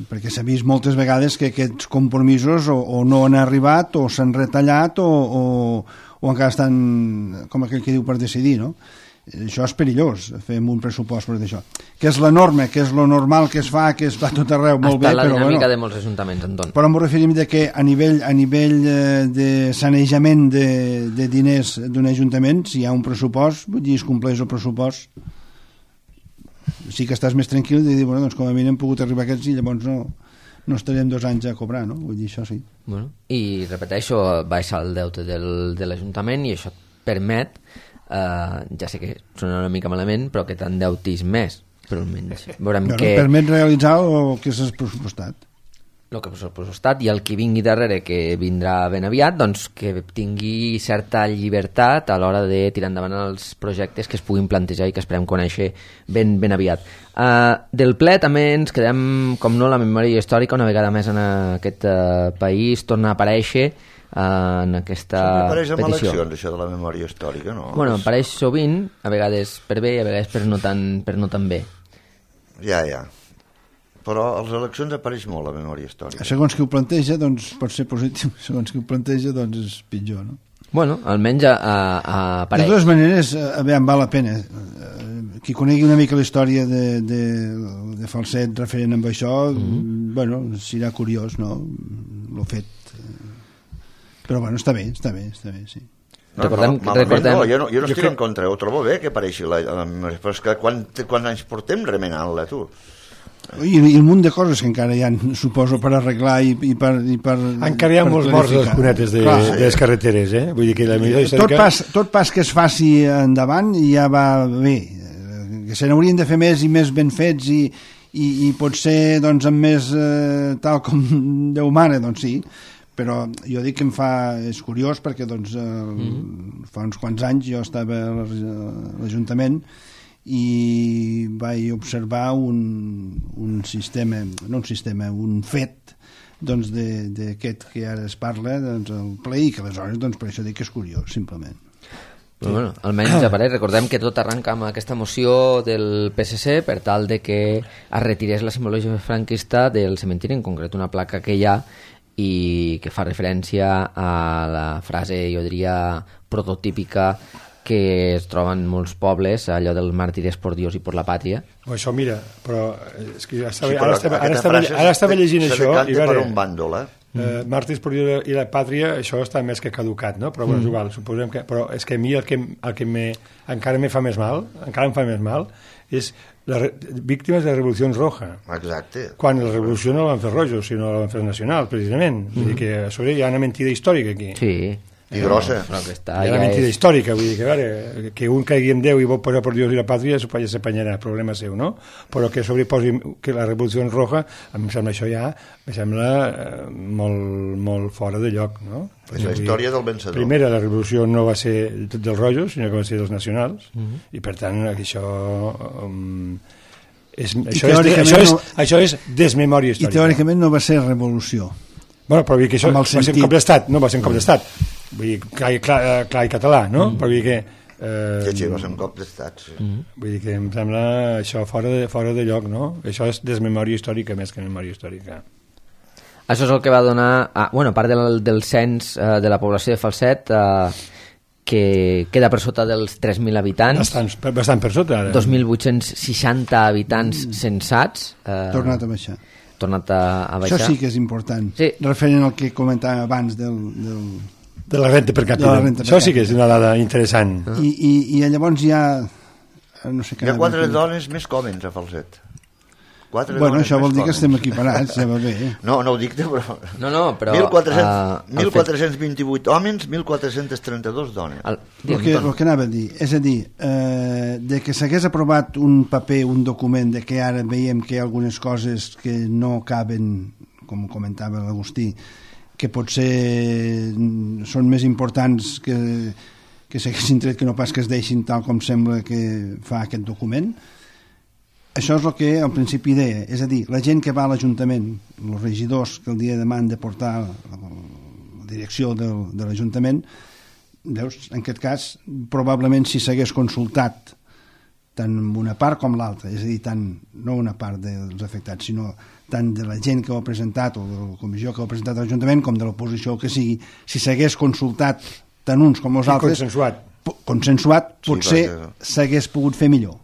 perquè s'ha vist moltes vegades que aquests compromisos o, o no han arribat o s'han retallat o, o, o encara estan, com aquell que diu, per decidir, no? això és perillós, fer un pressupost per això. Que és la norma, que és lo normal que es fa, que es fa tot arreu, molt bé, la però dinàmica bueno. de molts ajuntaments, Anton. Però m'ho referim de que a nivell, a nivell eh, de sanejament de, de diners d'un ajuntament, si hi ha un pressupost, vull dir, es compleix el pressupost, sí que estàs més tranquil de dir, bueno, doncs com a mínim hem pogut arribar a aquests i llavors no, no estarem dos anys a cobrar, no? Vull dir, això sí. Bueno, i repeteixo, baixa el deute del, de l'Ajuntament i això et permet, eh, ja sé que sona una mica malament, però que t'endeutis més, però almenys veurem Bueno, que... permet realitzar el que s'ha pressupostat. el que s'ha pressupostat i el que vingui darrere, que vindrà ben aviat, doncs que tingui certa llibertat a l'hora de tirar endavant els projectes que es puguin plantejar i que esperem conèixer ben, ben aviat. Uh, del ple també ens quedem, com no, la memòria històrica, una vegada més en aquest uh, país, torna a aparèixer uh, en aquesta petició. Apareix amb petició. eleccions, això de la memòria històrica, no? Bueno, apareix sovint, a vegades per bé i a vegades per no tan, per no tan bé. Ja, ja. Però a les eleccions apareix molt la memòria històrica. Segons qui ho planteja, doncs pot ser positiu, segons qui ho planteja, doncs és pitjor, no? Bueno, almenys a, a, a apareix. De totes maneres, aviam, val la pena. Qui conegui una mica la història de, de, de Falset referent amb això, mm-hmm. bueno, serà curiós, no?, l'ho fet. Però bueno, està bé, està bé, està bé, sí. No, recordem, no, recordem... no, jo no, jo no jo estic crec... en contra, ho trobo bé que apareixi la, la memòria, però és que quan, quants anys portem remenant-la, tu? I, i un munt de coses que encara hi ha, suposo, per arreglar i, i per... I per encara hi ha molts morts a les cunetes de, Clar, de les carreteres, eh? Vull dir que la millor històrica... tot, pas, tot pas que es faci endavant ja va bé, que se n'haurien de fer més i més ben fets i, i, i potser doncs, amb més eh, tal com Déu mana, doncs sí, però jo dic que em fa... és curiós perquè doncs, eh, mm-hmm. fa uns quants anys jo estava a l'Ajuntament i vaig observar un, un sistema, no un sistema, un fet doncs d'aquest que ara es parla, doncs el ple, i que aleshores doncs, per això dic que és curiós, simplement. Però, bueno, almenys apareix, recordem que tot arranca amb aquesta moció del P S C per tal de que es retirés la simbologia franquista del cementiri, en concret una placa que hi ha i que fa referència a la frase, jo diria, prototípica que es troben en molts pobles, allò del màrtires por Dios i por la pàtria. O això, mira, però és que ja estava, Sí, ara, estava, ara, estava, ara estava llegint això i veure... veure, per un bàndol, eh? eh, màrtirs por Dios i la pàtria, això està més que caducat, no? Però bueno, és igual, suposem que... Però és que a mi el que, el que me, encara me fa més mal, encara em fa més mal, és les víctimes de la Revolució Roja. Exacte. Quan la revolució no la van fer rojos, sinó la van fer nacional, precisament. Mm. Vull dir que a sobre hi ha una mentida històrica aquí. Sí. I grossa. Però que està, Hi ha ja una mentida és... històrica, vull dir que, a veure, que un caigui en Déu i vol posar per Dios i la pàtria, ja s'apanyarà, problema seu, no? Però que sobreposi que la Revolució Roja, em sembla això ja, em sembla eh, molt, molt fora de lloc, no? És la història del vencedor. Primera, la revolució no va ser dels rojos, sinó que va ser dels nacionals, uh -huh. i per tant, això... Um, és, això, és, això, és, no, això és desmemòria històrica. I teòricament no va ser revolució. Bueno, però vull dir que això va sentit... ser un cop d'estat, no va ser un cop d'estat. Vull dir, clar, clar, clar i català, no? Mm. Però vull dir que... Eh, sí, sí, va ser un cop d'estat, sí. Mm. Vull dir que em sembla això fora de, fora de lloc, no? Això és desmemòria històrica més que memòria històrica. Això és el que va donar... Ah, bueno, a part del, del cens eh, de la població de Falset, eh, que queda per sota dels tres mil habitants. Bastant, bastant per sota, ara. dos mil vuit-cents seixanta habitants mm. censats. Eh, tornat a baixar. Tornat a, a baixar. Això sí que és important. Sí. Referent al que comentàvem abans del... del... de la renta per capita. Renta per Això sí que és una dada interessant. I, i, i llavors hi ha... No sé hi ha quatre dones més còmens a Falset. Quatre bueno, això vol dir còmens. Que estem equiparats, ja va bé. No, no ho dic, però... No, no, però... mil quatre-cents vint-i-vuit homes, mil quatre-cents trenta-dos dones. El, el, que, el que anava a dir, és a dir, eh, de que s'hagués aprovat un paper, un document, de que ara veiem que hi ha algunes coses que no caben, com comentava l'Agustí, que potser són més importants que, que s'haguessin tret que no pas que es deixin tal com sembla que fa aquest document. Això és el que al principi deia, és a dir, la gent que va a l'Ajuntament, els regidors que el dia de demà han de portar la, la direcció del, de l'Ajuntament, veus, en aquest cas, probablement si s'hagués consultat tant una part com l'altra, és a dir, tant, no una part dels afectats, sinó tant de la gent que ho ha presentat o de la comissió que ho ha presentat a l'Ajuntament com de l'oposició que sigui, si s'hagués consultat tant uns com els altres, consensuat. consensuat, potser sí, perquè... s'hagués pogut fer millor.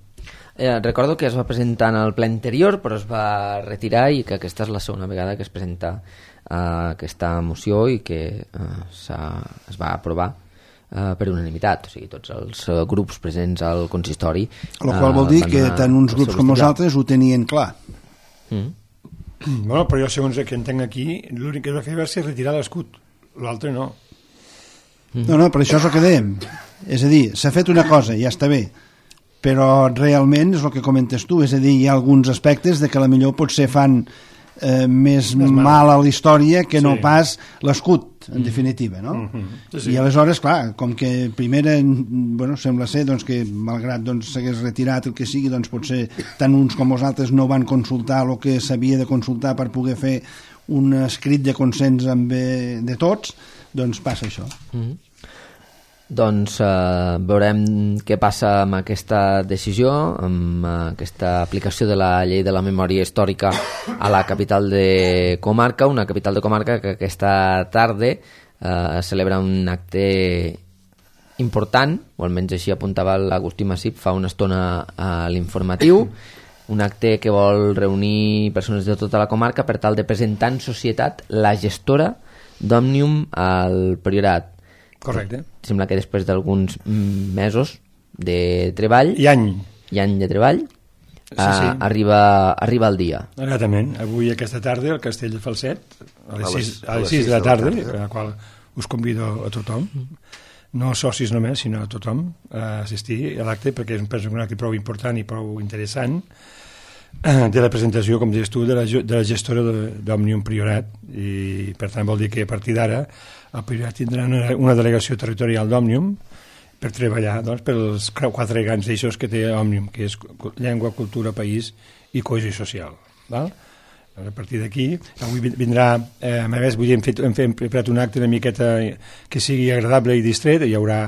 Eh, recordo que es va presentar en el ple anterior, però es va retirar i que aquesta és la segona vegada que es presenta eh, aquesta moció i que eh, es va aprovar eh, per unanimitat, o sigui, tots els eh, grups presents al consistori. El qual vol dir que tant uns grups com nosaltres ho tenien clar. Mm. Bueno, però jo, segons el que entenc aquí, l'únic que es va fer va ser retirar l'escut, l'altre no. No, no, però això és el que dèiem. És a dir, s'ha fet una cosa, ja està bé, però realment és el que comentes tu, és a dir, hi ha alguns aspectes de que la millor potser fan eh, més mal a la història que no sí. pas l'escut, en definitiva, no? Mm-hmm. Sí, sí. I aleshores, clar, com que primera, bueno, sembla ser doncs, que malgrat doncs, s'hagués retirat el que sigui, doncs potser tant uns com els altres no van consultar el que s'havia de consultar per poder fer un escrit de consens amb eh, de tots, doncs passa això. Mm-hmm. Doncs eh, veurem què passa amb aquesta decisió, amb eh, aquesta aplicació de la llei de la memòria històrica a la capital de comarca, una capital de comarca que aquesta tarda eh, celebra un acte important, o almenys així apuntava l'Agustí Massip fa una estona a l'informatiu, un acte que vol reunir persones de tota la comarca per tal de presentar en societat la gestora d'Òmnium al Priorat. Correcte. Sembla que després d'alguns mesos de treball i any i any de treball sí, sí. Uh, arriba, arriba el dia. Exactament. Avui aquesta tarda al Castell de Falset a les, a les, sis, a les sis de la tarda, a la qual us convido a tothom, no socis només sinó a tothom a assistir a l'acte, perquè és un acte prou important i prou interessant de la presentació, com dius tu, de la, de la gestora d'Òmnium Priorat, i per tant vol dir que a partir d'ara el Priorat tindrà una, una delegació territorial d'Òmnium per treballar doncs, pels quatre grans eixos que té Òmnium, que és llengua, cultura, país i cohesió social. Val? A partir d'aquí, avui vindrà, eh, a més, avui hem, fet, hem, fet, hem preparat un acte una miqueta que sigui agradable i distret, hi haurà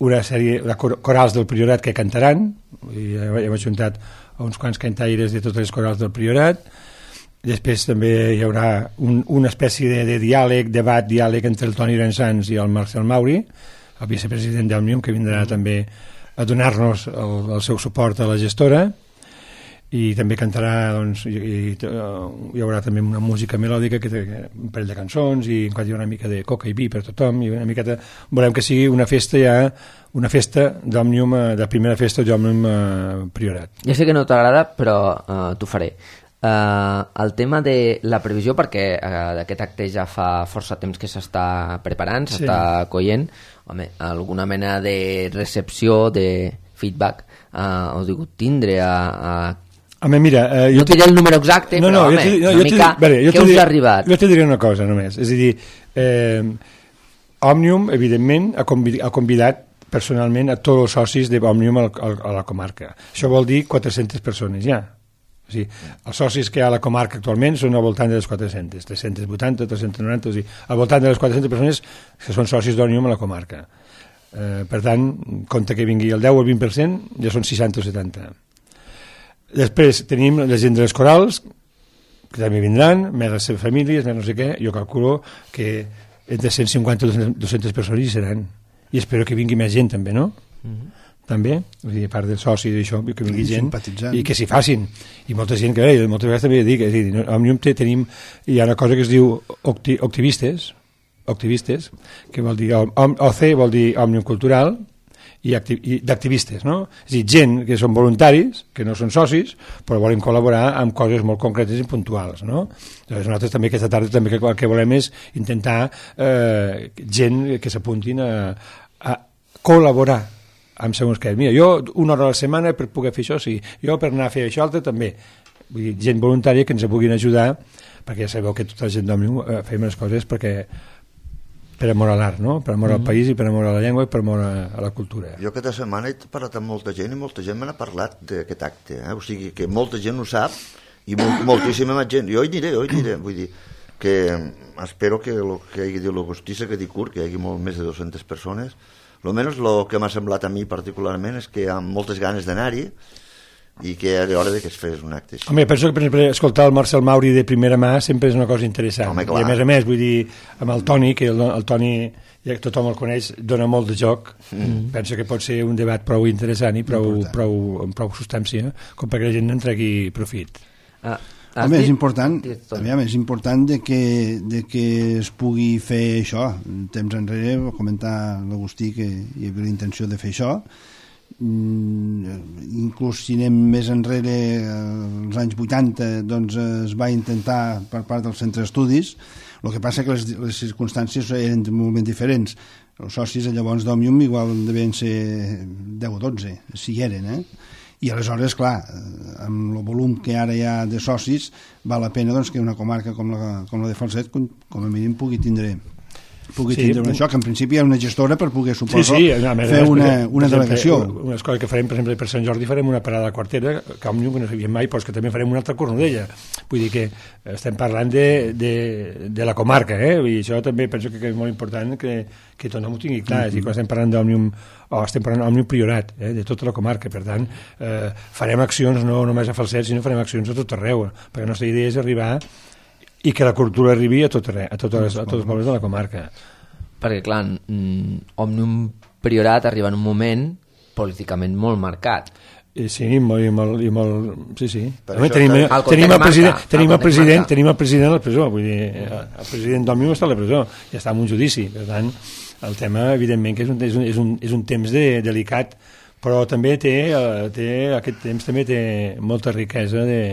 una sèrie de corals del Priorat que cantaran, i hem ajuntat uns quants cantaires de totes les corals del Priorat. Després també hi haurà un, una espècie de, de diàleg, debat, diàleg entre el Toni Rensans i el Marcel Mauri, el vicepresident d'Òmnium, que vindrà també a donar-nos el, el seu suport a la gestora, i també cantarà, doncs, i, i, hi haurà també una música melòdica, que té un parell de cançons, i hi haurà una mica de coca i vi per tothom, i una miqueta, volem que sigui una festa ja, una festa d'Òmnium, de primera festa d'Òmnium eh, Priorat. Ja sé que no t'agrada, però uh, t'ho faré. Uh, el tema de la previsió, perquè uh, aquest acte ja fa força temps que s'està preparant, s'està sí. coient, home, alguna mena de recepció, de feedback, uh, heu digut tindre a... a... Home, mira... Uh, no diré el número exacte, no, però, no, home, no, una mica, vale, què us ha arribat? Jo t'hi diré una cosa, només. És a dir, eh, Òmnium, evidentment, ha convidat, ha convidat personalment a tots els socis d'Òmnium a, a, a la comarca. Això vol dir quatre-centes persones, ja. O sigui, els socis que hi ha a la comarca actualment són al voltant de les quatre-centes, tres-cents vuitanta, tres-cents noranta, o sigui, al voltant de les quatre-centes persones que són socis d'Òmnium a la comarca. Eh, per tant, compte que vingui el deu o el vint per cent, ja són seixanta o setanta. Després tenim la gent de les corals, que també vindran, més les seves famílies, més no sé què, jo calculo que entre cent cinquanta i dues-centes persones hi seran. I espero que vingui més gent també, no? Mm-hmm. També, vull dir, a part del soci d'això, que vingui gent i que s'hi facin, i molta gent que bé, moltes vegades també dic, és dir, a Òmnium tenim, hi ha una cosa que es diu octi, octivistes octivistes, que vol dir O C vol dir Òmnium Cultural, i, acti, i d'activistes, no? És a dir, gent que són voluntaris, que no són socis, però volen col·laborar amb coses molt concretes i puntuals, no? Llavors nosaltres també aquesta tarda també el que volem és intentar eh, gent que s'apuntin a, a col·laborar amb segons què. Mira, jo una hora a la setmana per poder fer això, sí. Jo per anar a fer això altre també. Vull dir, gent voluntària que ens puguin ajudar, perquè ja sabeu que tota la gent d'Òmnium eh, fem les coses perquè per amor a l'art, no? Per amor mm-hmm. al país i per amor a la llengua i per amor a, a la cultura. Jo aquesta setmana he parlat amb molta gent i molta gent me n'ha parlat d'aquest acte, eh? O sigui que molta gent ho sap i molt, moltíssima més gent. Jo hi diré, jo hi diré, vull dir que espero que el que hagi dit l'Agustí se quedi curt, que hi hagi molt més de dues-centes persones. Almenys el que m'ha semblat a mi particularment és que hi ha moltes ganes d'anar-hi, i que era hora que es fes un acte així. Home, penso que, per exemple, escoltar el Marcel Mauri de primera mà sempre és una cosa interessant. Home, I a més a més, vull dir, amb el Toni, que el, el Toni, ja que tothom el coneix, dona molt de joc, mm. penso que pot ser un debat prou interessant i prou, prou, amb prou substància, com perquè la gent en tregui profit. Ah, Home, és important, aviam, és important de que, de que es pugui fer això. Temps enrere va comentar l'Agustí que hi havia la intenció de fer això. Mm, inclús si anem més enrere, als anys vuitanta, doncs es va intentar per part del centre d'estudis. El que passa que les, les circumstàncies eren molt ben diferents. Els socis llavors d'Òmnium igual devien ser deu o dotze, si hi eren, eh? I aleshores, clar, amb el volum que ara hi ha de socis, val la pena doncs, que una comarca com la, com la de Falset, com, com a mínim pugui tindre pugui sí, tindre això, que en principi hi ha una gestora per poder, suposo, sí, sí, més, fer més, una, una exemple, delegació. Unes coses que farem, per exemple, per Sant Jordi farem una parada a Quartera, que Òmnium que no sabíem mai, però que també farem una altra Cornudella. Vull dir que estem parlant de, de, de la comarca, eh? I això també penso que és molt important que, que tothom ho tingui clar. Mm-hmm. I quan estem parlant d'Òmnium, o estem parlant d'Òmnium Priorat, eh? De tota la comarca. Per tant, eh, farem accions no només a Falset, sinó farem accions a tot arreu, perquè la nostra idea és arribar i que la cultura arribi a, tot arreu, a, totes, a tots els pobles de la comarca. Perquè, clar, Òmnium Priorat arriba en un moment políticament molt marcat. I sí, molt, i molt, i molt sí, sí. Home, tenim, el tenim, el president, marca, tenim, el president, tenim el president a la presó, vull dir, el president d'Òmnium està a la presó, ja està en un judici, per tant, el tema, evidentment, que és un, és un, és un, és un temps de, delicat, però també té, té, aquest temps també té molta riquesa de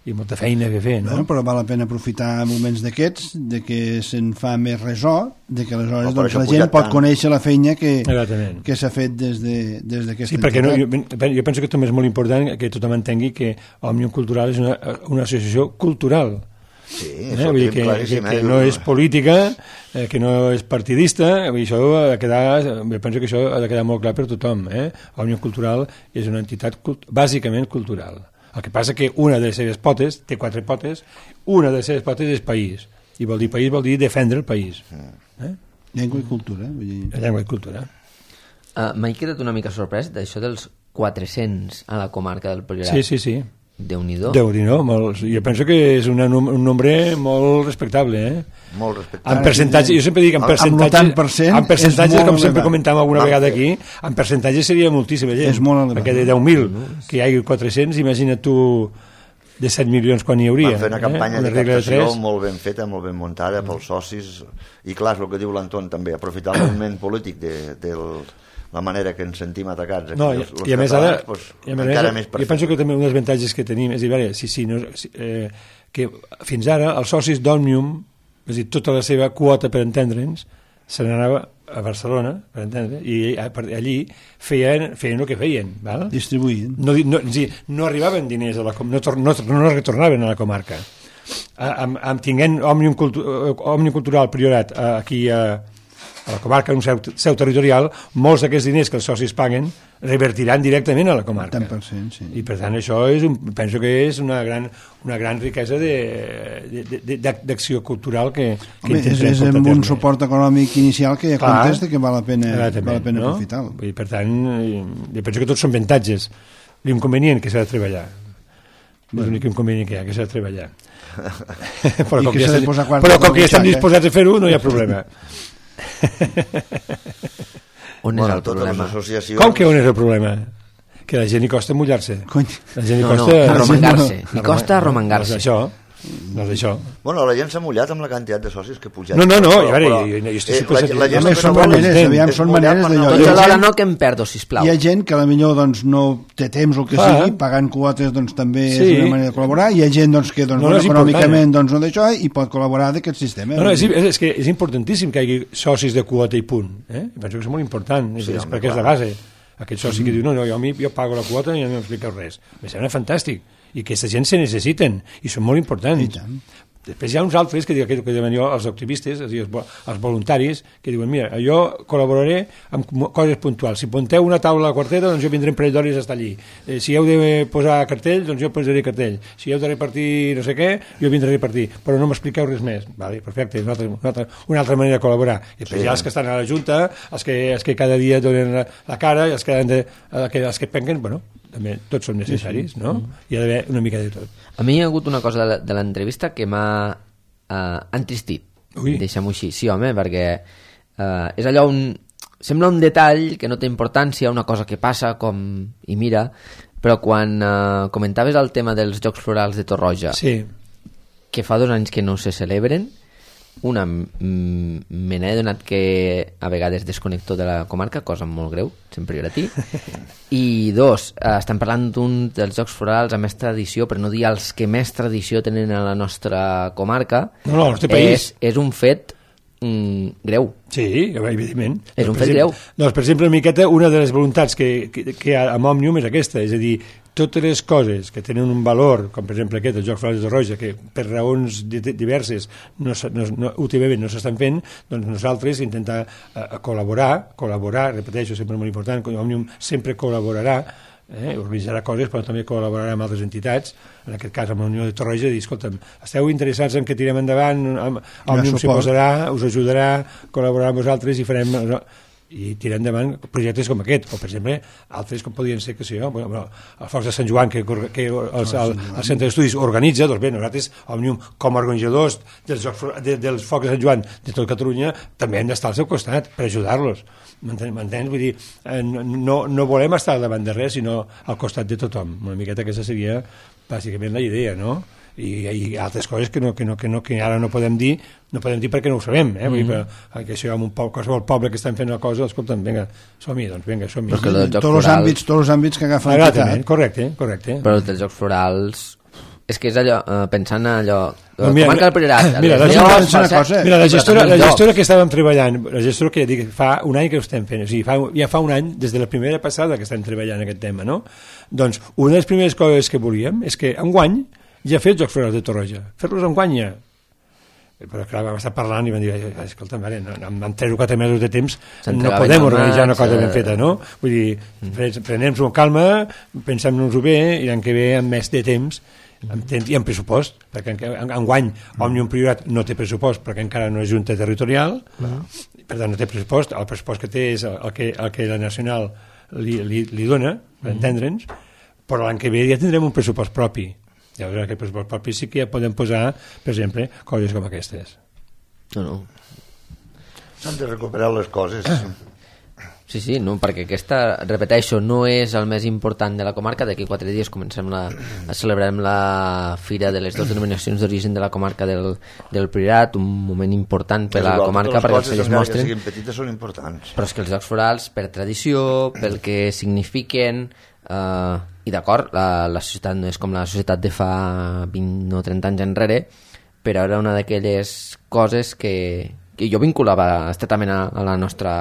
i molta feina que fer, no? Bueno, però val la pena aprofitar moments d'aquests, de que se'n fa més resò, de que aleshores no, doncs, la gent pot tant. Conèixer la feina que, que s'ha fet des d'aquesta de, des sí, perquè no, jo, jo penso que també és molt important que tothom entengui que Òmnium Cultural és una, una associació cultural. Sí, eh? Vull dir que, que, que no és política, eh, que no és partidista, vull dir, això ha de quedar, jo penso que això ha de quedar molt clar per tothom. Eh? Òmnium Cultural és una entitat cult, bàsicament cultural. El que passa que una de les seves potes, té quatre potes, una de les seves potes és país. I vol dir país, vol dir defendre el país. Eh? Llengua i cultura. Vull dir... Llengua i cultura. Uh, M'he quedat una mica sorprès d'això dels quatre-cents a la comarca del Priorat. Sí, sí, sí. Déu-n'hi-do. Déu-n'hi-do, molt, jo penso que és una, un nombre molt respectable, eh? Molt respectable. En percentatge, jo sempre dic, en percentatge, per cent en percentatge com elevat. sempre comentàvem alguna vegada aquí, en percentatge seria moltíssima gent. És molt elevat. Perquè de deu mil, que hi hagi quatre-cents, imagina't tu de set milions quan hi hauria. Van fer una campanya eh? de captació de molt ben feta, molt ben muntada pels socis, i clar, és el que diu l'Anton també, aprofitar el moviment polític de, del... la manera que ens sentim atacats aquí, no, els, els i a més ara, pues, i a més, encara més jo penso que també un dels avantatges que tenim és dir, veure, sí, sí, no, eh, que fins ara els socis d'Òmnium, és a dir, tota la seva quota per entendre'ns se n'anava a Barcelona per entendre, i allí feien, feien el que feien, val? Distribuïen, no, no, no, no arribaven diners a la, no, no, no retornaven a la comarca. Amb, amb tinguent Òmnium, Cultu, Òmnium Cultural Priorat aquí a a la comarca, en un seu, seu territorial, molts d'aquests diners que els socis paguen revertiran directament a la comarca. tant per cent, sí. I per tant això és un, penso que és una gran, una gran riquesa d'acció cultural que, que Home, és, és amb un suport econòmic inicial que ja comptes que val la pena, val la pena no? aprofitar-lo. I per tant, jo penso que tots són avantatges. L'inconvenient que s'ha de treballar. És l'únic inconvenient que hi ha, que s'ha de treballar. però com que, ja, però com que ja estem disposats a fer-ho, no hi ha problema. On bueno, és el problema? Associacions... Com que on és el problema? Que a la gent li costa mullar-se. La gent li no, costa... no, arromangar-se. Li costa arromangar-se. No és això. No és això. Bueno, la gent s'ha mullat amb la quantitat de socis que ha pujat. No, no, no, però, a veure, però, jo, jo estic eh, sempre... La, la gent no són maneres, aviam, són maneres d'allò. Doncs alhora no que em perdo, sisplau. Hi ha gent que potser doncs, no té temps o el que ah. sigui, pagant quotes doncs, també sí. és una manera de col·laborar. Hi ha gent doncs, que doncs, no, no econòmicament doncs, no d'això i pot col·laborar d'aquest sistema. No, no, és, és, que és importantíssim que hi hagi socis de quota i punt. Eh? Penso que és molt important, és, sí, és home, perquè clar. És la base. Aquest soci mm. que diu, no, no, jo, a mi, jo pago la quota i no m'expliqueu res. Em sembla fantàstic. I aquesta gent se necessiten i són molt importants. Després hi ha uns altres que diuen que diuen jo, els activistes, és a dir, els voluntaris, que diuen, mira, jo col·laboraré amb coses puntuals. Si punteu una taula a Quartera, doncs jo vindré un parell d'hores a estar allí. Eh, si heu de posar cartells, doncs jo posaré cartell. Si heu de repartir no sé què, jo vindré a repartir. Però no m'expliqueu res més. Vale, perfecte, és una altra, una, altra, una altra manera de col·laborar. I després sí. hi ha els que estan a la Junta, els que, els que cada dia donen la, la cara, els que, de, els que, els que penquen, bueno, també tots són necessaris, no? Hi ha d'haver una mica de tot. A mi hi ha hagut una cosa de, de l'entrevista que m'ha eh, entristit, deixem-ho així, sí home, perquè eh, és allò un... sembla un detall que no té importància, una cosa que passa com... i mira, però quan eh, comentaves el tema dels Jocs Florals de Torroja, sí. que fa dos anys que no se celebren, una, mm, me n'he donat que a vegades desconnecto de la comarca, cosa molt greu, sempre gratí, i dos, eh, estem parlant d'un dels Jocs Florals amb més tradició, per no dir els que més tradició tenen a la nostra comarca, no, no, al nostre país. És, és un fet mm, greu. Sí, evidentment. És un per fet exemple, greu. Doncs, per exemple, una miqueta, una de les voluntats que, que, que hi ha amb Òmnium és aquesta, és a dir, totes les coses que tenen un valor, com per exemple aquest, el Jocs Florals de Torroja, que per raons diverses no, no, no, últimament no s'estan fent, doncs nosaltres intentar uh, col·laborar, col·laborar, repeteixo, sempre molt important, Òmnium sempre col·laborarà, eh, organitzarà coses, però també col·laborarà amb altres entitats, en aquest cas amb la Unió de Torroja, i dir, escolta'm, esteu interessats en que tirem endavant, Òmnium s'hi posarà, us ajudarà, col·laborarà amb vosaltres i farem... i tirar endavant projectes com aquest, o per exemple altres com podien ser, que sé jo, bueno, el Focs de Sant Joan que, que el, el, el Centre d'Estudis organitza, doncs bé, nosaltres Òmnium com a organitzadors dels, de, dels Focs de Sant Joan de tot Catalunya també hem d'estar al seu costat per ajudar-los, m'entens? Vull dir, no, no volem estar davant de res sinó al costat de tothom, una miqueta aquesta seria bàsicament la idea, no? I, i altres coses que, no, que, no, que, no, que ara no podem dir no podem dir perquè no ho sabem, eh? Mm-hmm. Vull dir, que si hi ha un poble, qualsevol poble que estan fent una cosa, escolta'm, vinga, som-hi, doncs vinga, som-hi. Tots els àmbits, tots els àmbits que agafen l'entitat. Correcte, correcte. Però els Jocs Florals, és que és allò, eh, pensant en allò, no, mira, comarca del Priorat, mira, la, llavors, cosa, mira, la gestora, la gestora que estàvem treballant, la gestora que ja dic, fa un any que ho estem fent, o sigui, fa, ja fa un any, des de la primera passada que estem treballant aquest tema, no? Doncs una de les primeres coses que volíem és que enguany ja ha fet Jocs Florals de Torroja, fer-los enguany ja. Però clar, vam estar parlant i vam dir, escolta, mare, no, amb tres o quatre mesos de temps no podem organitzar una cosa ben feta, no? Vull dir, mm. prenem-nos amb calma, pensem-nos-ho bé, i l'any que ve amb més de temps i amb pressupost, perquè enguany Òmnium Priorat no té pressupost perquè encara no és junta territorial, mm. per tant no té pressupost, el pressupost que té és el que, el que la Nacional li, li, li dona, per mm. entendre'ns, però l'any que ve ja tindrem un pressupost propi. Llavors aquest pressupost propi sí que ja podem posar, per exemple, coses com aquestes. No, no. S'han de recuperar les coses. Sí, sí, no, perquè aquesta, repeteixo, no és el més important de la comarca. D'aquí quatre dies comencem la, celebrarem la fira de les dues denominacions d'origen de la comarca del, del Priorat, un moment important per la comarca perquè els es mostren. Que siguin petites són importants. Però és que els Jocs Florals, per tradició, pel que signifiquen... Uh, i d'acord, la, la societat no és com la societat de fa vint o trenta anys enrere, però era una d'aquelles coses que, que jo vinculava estretament a, a la nostra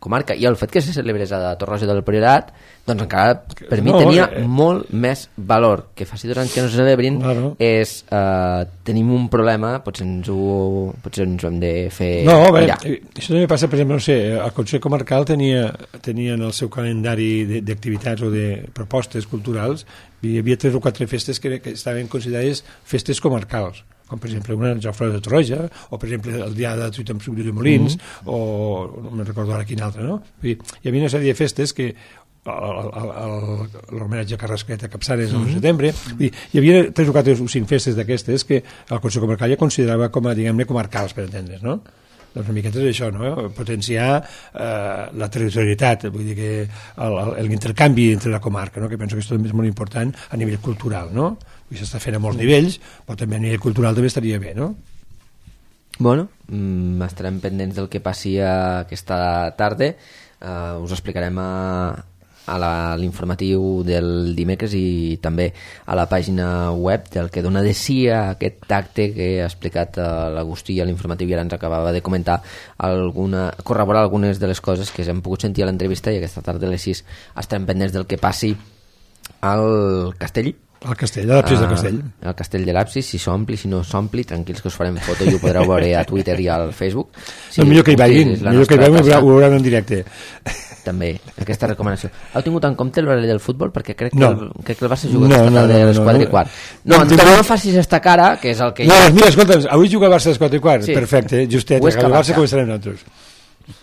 comarca, i el fet que se celebrés a Torroja del Priorat, doncs encara per mi no, tenia eh... molt més valor. Que faci dos anys que no se celebrin, claro. és eh, tenim un problema, potser ens ho, potser ens ho hem de fer no, bé, això també passa, per exemple, no sé, el Consell Comarcal tenia, tenia en el seu calendari d'activitats o de propostes culturals, hi havia tres o quatre festes que, que estaven considerades festes comarcals, com per exemple una Jocs Florals de Torroja, o per exemple el dia de Tuita amb Sucre de Molins, mm-hmm. o no me'n recordo ara quin altre, no? Vull dir, hi havia una sèrie de festes que l'homenatge a Carrasquet a Capçanes mm-hmm. al setembre, vull dir, hi havia tres o quatre o cinc festes d'aquestes que el Consell Comarcal ja considerava com a, diguem-ne, comarcals, per entendre's, no? Doncs una miqueta és això, no? Potenciar eh, la territorialitat, vull dir que l'intercanvi entre la comarca, no? Que penso que això també és molt important a nivell cultural, no? I s'està fent a molts nivells, però també a nivell cultural també estaria bé, no? Bueno, mm, estarem pendents del que passi aquesta tarda. Uh, us explicarem a, a l'informatiu del dimecres i també a la pàgina web del que dona de si a aquest acte que ha explicat uh, l'Agustí a l'informatiu, i ara ens acabava de comentar alguna, corroborar algunes de les coses que hem pogut sentir a l'entrevista, i aquesta tarda a les sis estarem pendents del que passi al castell. El castell, l'absis del castell. El castell de l'absis, si s'ompli, si no s'ompli, tranquils que us farem foto i ho podreu veure a Twitter i al Facebook. Si no, millor que hi vagin, millor que hi vagin, ho veuran en directe. També, aquesta recomanació. Heu tingut en compte l'horari del futbol? Perquè crec que, no. el, crec que el Barça juga no, aquesta tarda no, a les quatre no, i quart. No, no, no, no facis esta cara, que és el que... No, mira, escolta'm, avui juga el Barça a les quatre i quart, sí. Perfecte, justet, el Barça començarem nosaltres.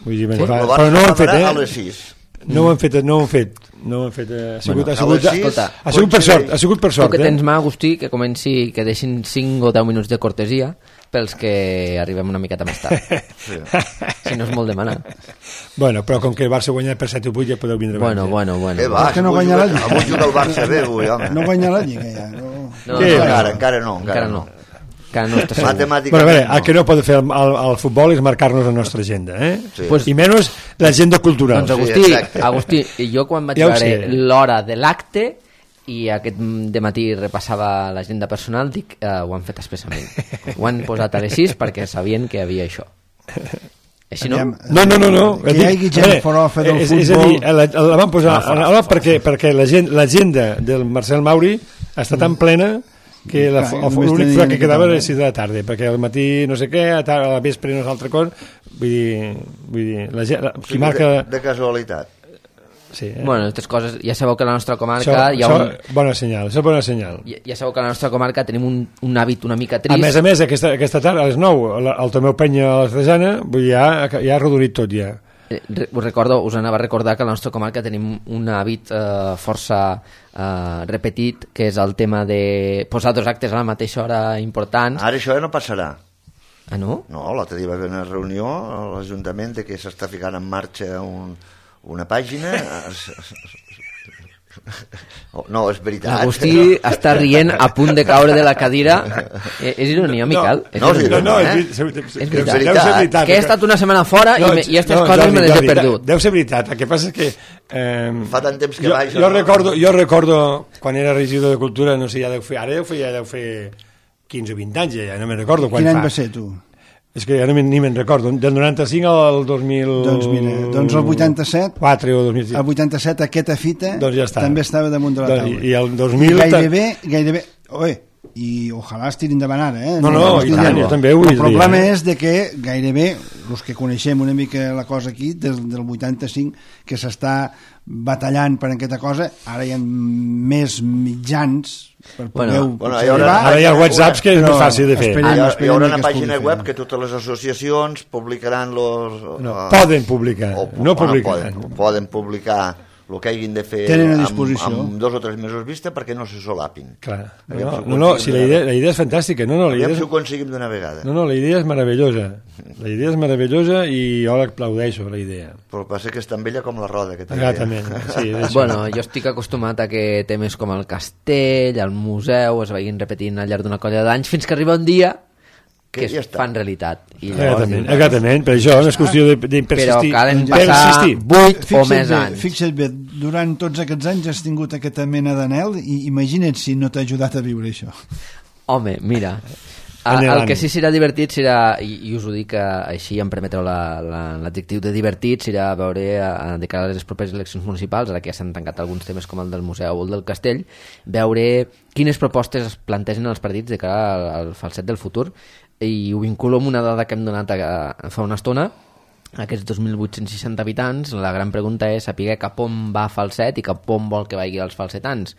Vull dir, sí, fa, el Barça però no ho hem fet, eh? a les sis. No ho han fet, no ho han fet. No ho han fet. Ha sigut, Bueno, ha sigut, a les sis, escolta, ha sigut per sort, ha sigut per Tu sort. que Eh? tens mà, Agustí, que comenci, que deixin cinc o deu minuts de cortesia pels que arribem una miqueta més tard. Sí. Si no és molt demanar. Bueno, però com que el Barça guanya per set o vuit ja podeu vindre Bueno, abans, bueno, bueno. Eh, va, És que no avui guanya la juga- Lliga. Avui juga el Barça bé, avui, home. No guanya la Lliga, ja. No. No, Què? no, Encara, encara no. encara no. Encara no està segur. Matemàticament Bueno, a veure, no. el que no pot fer el, el, el futbol és marcar-nos la nostra agenda, eh? Sí. Pues- I menys l'agenda cultural. Doncs Agustí, Sí, exacte. Agustí, jo quan vaig Ja ho veure sé. l'hora de l'acte i aquest dematí repassava l'agenda personal, dic, eh, ho han fet expressament. Ho han posat a les sis perquè sabien que hi havia això. Així no? Aviam, No, no, no, no. Que hi hagi gent forofa del és, futbol. És a dir, la, la van posar Ah, fora, a la, perquè, perquè la gent- l'agenda del Marcel Mauri està tan plena que la, Clar, el, només l'únic tenia fora que que quedava era parlar. les sis de la tarda, perquè al matí no sé què, a, tar- a la vespre no és altra cosa. Vull dir, vull dir la, gent- la, O qui sigui, marca... de, de casualitat. Sí, eh? Bueno, aquestes coses, ja sabeu que a la nostra comarca això, hi ha això, un... bona senyal, això és bona senyal. Ja, ja sabeu que a la nostra comarca tenim un, un hàbit una mica A trist. més a més, aquesta, aquesta tarda, a les nou, la- el Tomeu Penya a l'Artesana, vull dir, ja, ja ha reduït tot ja. Eh, re- Us recordo, us anava a recordar que a la nostra comarca tenim un hàbit eh, força eh, repetit, que és el tema de posar dos actes a la mateixa hora importants. Ara això ja no passarà. Ah, no? No, l'altre dia va haver una reunió a l'Ajuntament de que s'està ficant en marxa un, una pàgina. Oh, no, és veritat. L'Agustí està rient a punt de caure de la cadira. Eh, és ironia, Miquel? No, és no, sí, ironia. No, no, eh? és, és, és, És veritat. deu ser veritat. Que he estat una setmana fora i, me, i aquestes no, coses Jordi, me les he Jordi, perdut. Deu ser veritat, el que passa és que... Eh, Fa tant temps que jo, vaig, jo, no? recordo, jo recordo, quan era regidor de Cultura, no sé, ja deu fer, ara deu fer, ja deu fer quinze o vint anys, ja no me'n recordo quan Quin any fa. va ser, tu? És que ja no me, ni me'n recordo, del noranta-cinc al dos mil... Doncs mira, doncs el vuitanta-set, quatre o dos mil sis. el vuitanta-set aquesta fita Doncs ja està. també estava damunt de la Doncs, taula. i- i el dos mil Gairebé, gairebé... Oi, i ojalà es tirin davant ara, eh? No, no, ho i estic tant, dient. jo també ho El diria, problema eh? és de que gairebé, els que coneixem una mica la cosa aquí, des del vuitanta-cinc, que s'està batallant per aquesta cosa, ara hi ha més mitjans per Bueno, poder bueno, potser hi haurà- arribar. Ara hi ha whatsapps que és Però més fàcil de fer. esperem- Hi, ha, hi esperem haurà que una es pàgina pugui web fer. que totes les associacions publicaran los... No, eh, poden publicar, o- no bueno, publicaran. Poden, poden publicar el que hagin de fer Tenen a amb, disposició. amb dos o tres mesos vista perquè no se solapin. Clar. Aviam No, si ho no, no, aconseguim si la d'una idea, vegada. la idea és fantàstica. No, no, la Aviam idea si és, ho aconseguim d'una vegada. no, no, la idea és meravellosa. La idea és meravellosa i jo l'aplaudeixo, la idea. Però el que passa és tan vella com la roda. Que té. Exactament. Sí, és això. Bueno, jo estic acostumat a que temes com el castell, el museu, es vagin repetint al llarg d'una colla d'anys fins que arriba un dia que Que es ja està. fan realitat. I llavors Exactament, dius, exactament, per això és qüestió de- però d'insistir. calen Ja. passar Persistir. vuit o Fixa't més bé, anys. fixa't bé, durant tots aquests anys has tingut aquesta mena d'anel i imagina't si no t'ha ajudat a viure això. Home, mira, a, Anhelant. el que sí serà divertit serà, i, i us ho dic eh, així, em permetreu la- la- l'adjectiu de divertit, serà veure a, de cara a les properes eleccions municipals, ara que ja s'han tancat alguns temes com el del museu o el del castell, veure quines propostes es plantegen als partits de cara al, al falset del futur, i ho vinculo amb una dada que hem donat a, a, fa una estona. Aquests dos mil vuit-cents seixanta habitants, la gran pregunta és saber cap on va Falset i cap on vol que vagi els falsetans,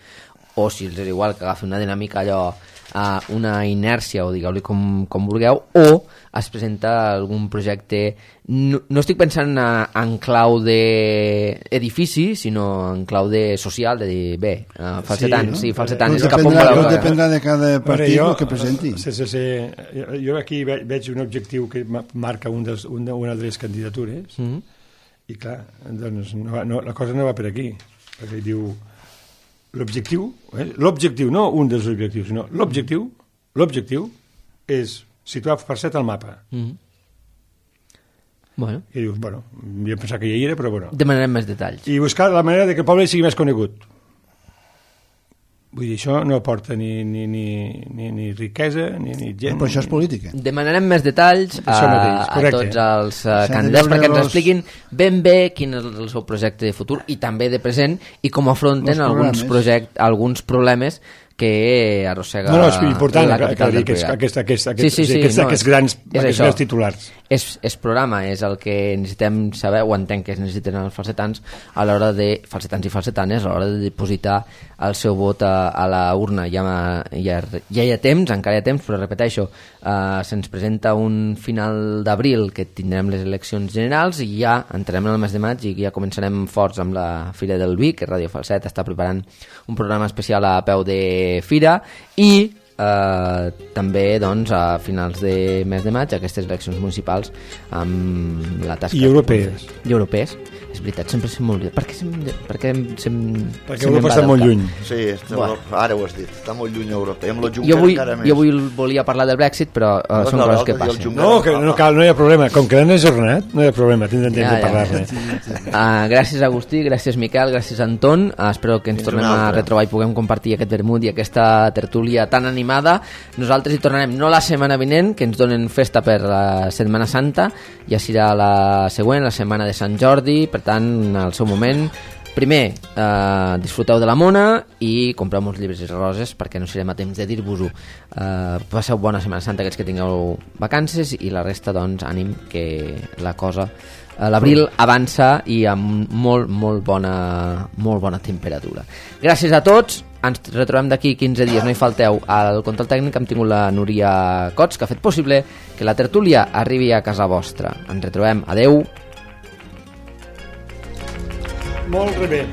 o si els és igual que agafi una dinàmica allò, a una inèrcia, o digueu-li com, com vulgueu, o es presenta algun projecte, no, no estic pensant a, en clau d'edifici, sinó en clau de social, de dir, bé, uh, falsetans, sí, Sí, sí, falsetans, Tot cap on dependrà, voleu tot que- dependrà de cada Veure, partit jo, el que presenti. Sí, sí, sí. Jo- Jo aquí ve- veig un objectiu que ma- marca un dels, un de, una de les candidatures Mhm. i clar, doncs no, va- no, la cosa no va per aquí, perquè diu l'objectiu, eh? l'objectiu, no un dels objectius, sinó l'objectiu, l'objectiu és situar Falset al mapa. Mhm. Bueno, I dius, bueno, jo pensava que ja hi era, però bueno. demanarem més detalls. I buscar la manera de que el poble sigui més conegut. Vull dir, això no aporta ni, ni, ni, ni, ni riquesa, ni, ni gent... Però això és política. Demanarem més detalls a, Això mateix, a correcte. tots els uh, S'ha de candidats veure perquè ens los- expliquin ben bé quin és el seu projecte de futur i també de present i com afronten Los alguns, programes. project, alguns problemes que arrossega No, no, és important la que, que, capital dir del aquests, Priorat. aquests, aquests, sí, aquests, sí, sí, aquests, no, aquests grans, és aquests això. grans titulars. és, és programa, és el que necessitem saber, o entenc que es necessiten els falsetans a l'hora de, falsetans i falsetanes, a l'hora de depositar el seu vot a, a la urna. Ja, ja, ja hi ha temps, encara hi ha temps, però repeteixo, eh, se'ns presenta un final d'abril que tindrem les eleccions generals i ja entrarem en el mes de maig i ja començarem forts amb la Fira del Vi, que Radio Falset està preparant un programa especial a peu de fira, i eh, també doncs, a finals de mes de maig aquestes eleccions municipals amb la tasca... I europees. I europees. És veritat, sempre se'm oblida. Per què se'm... Per què se'm Perquè Europa està molt lluny. Sí, està bueno. Europa, ara ho has dit, està molt lluny Europa. Amb jo, vull, jo vull, volia parlar del Brexit, però uh, no, són no, coses que passen. No, que no cal, no hi ha problema. Com que l'han ajornat, no hi ha problema, tindrem temps ja, de parlar-ne. Uh, gràcies Agustí, gràcies Miquel, gràcies Anton. Uh, espero que ens Fins tornem a retrobar i puguem compartir aquest vermut i aquesta tertúlia tan animada. Nosaltres hi tornarem no la setmana vinent, que ens donen festa per la Setmana Santa, ja serà la següent, la setmana de Sant Jordi, per tant, al seu moment. Primer, eh, disfruteu de la mona i compreu uns llibres i roses perquè no serem a temps de dir-vos-ho. Eh, passeu bona Setmana Santa aquests que tingueu vacances i la resta, doncs, ànim que la cosa... Eh, l'abril avança i amb molt, molt bona, molt bona temperatura. Gràcies a tots. Ens retrobem d'aquí quinze dies, no hi falteu. Al control tècnic hem tingut la Núria Cots, que ha fet possible que la tertúlia arribi a casa vostra. Ens retrobem. Adeu. Molt bé.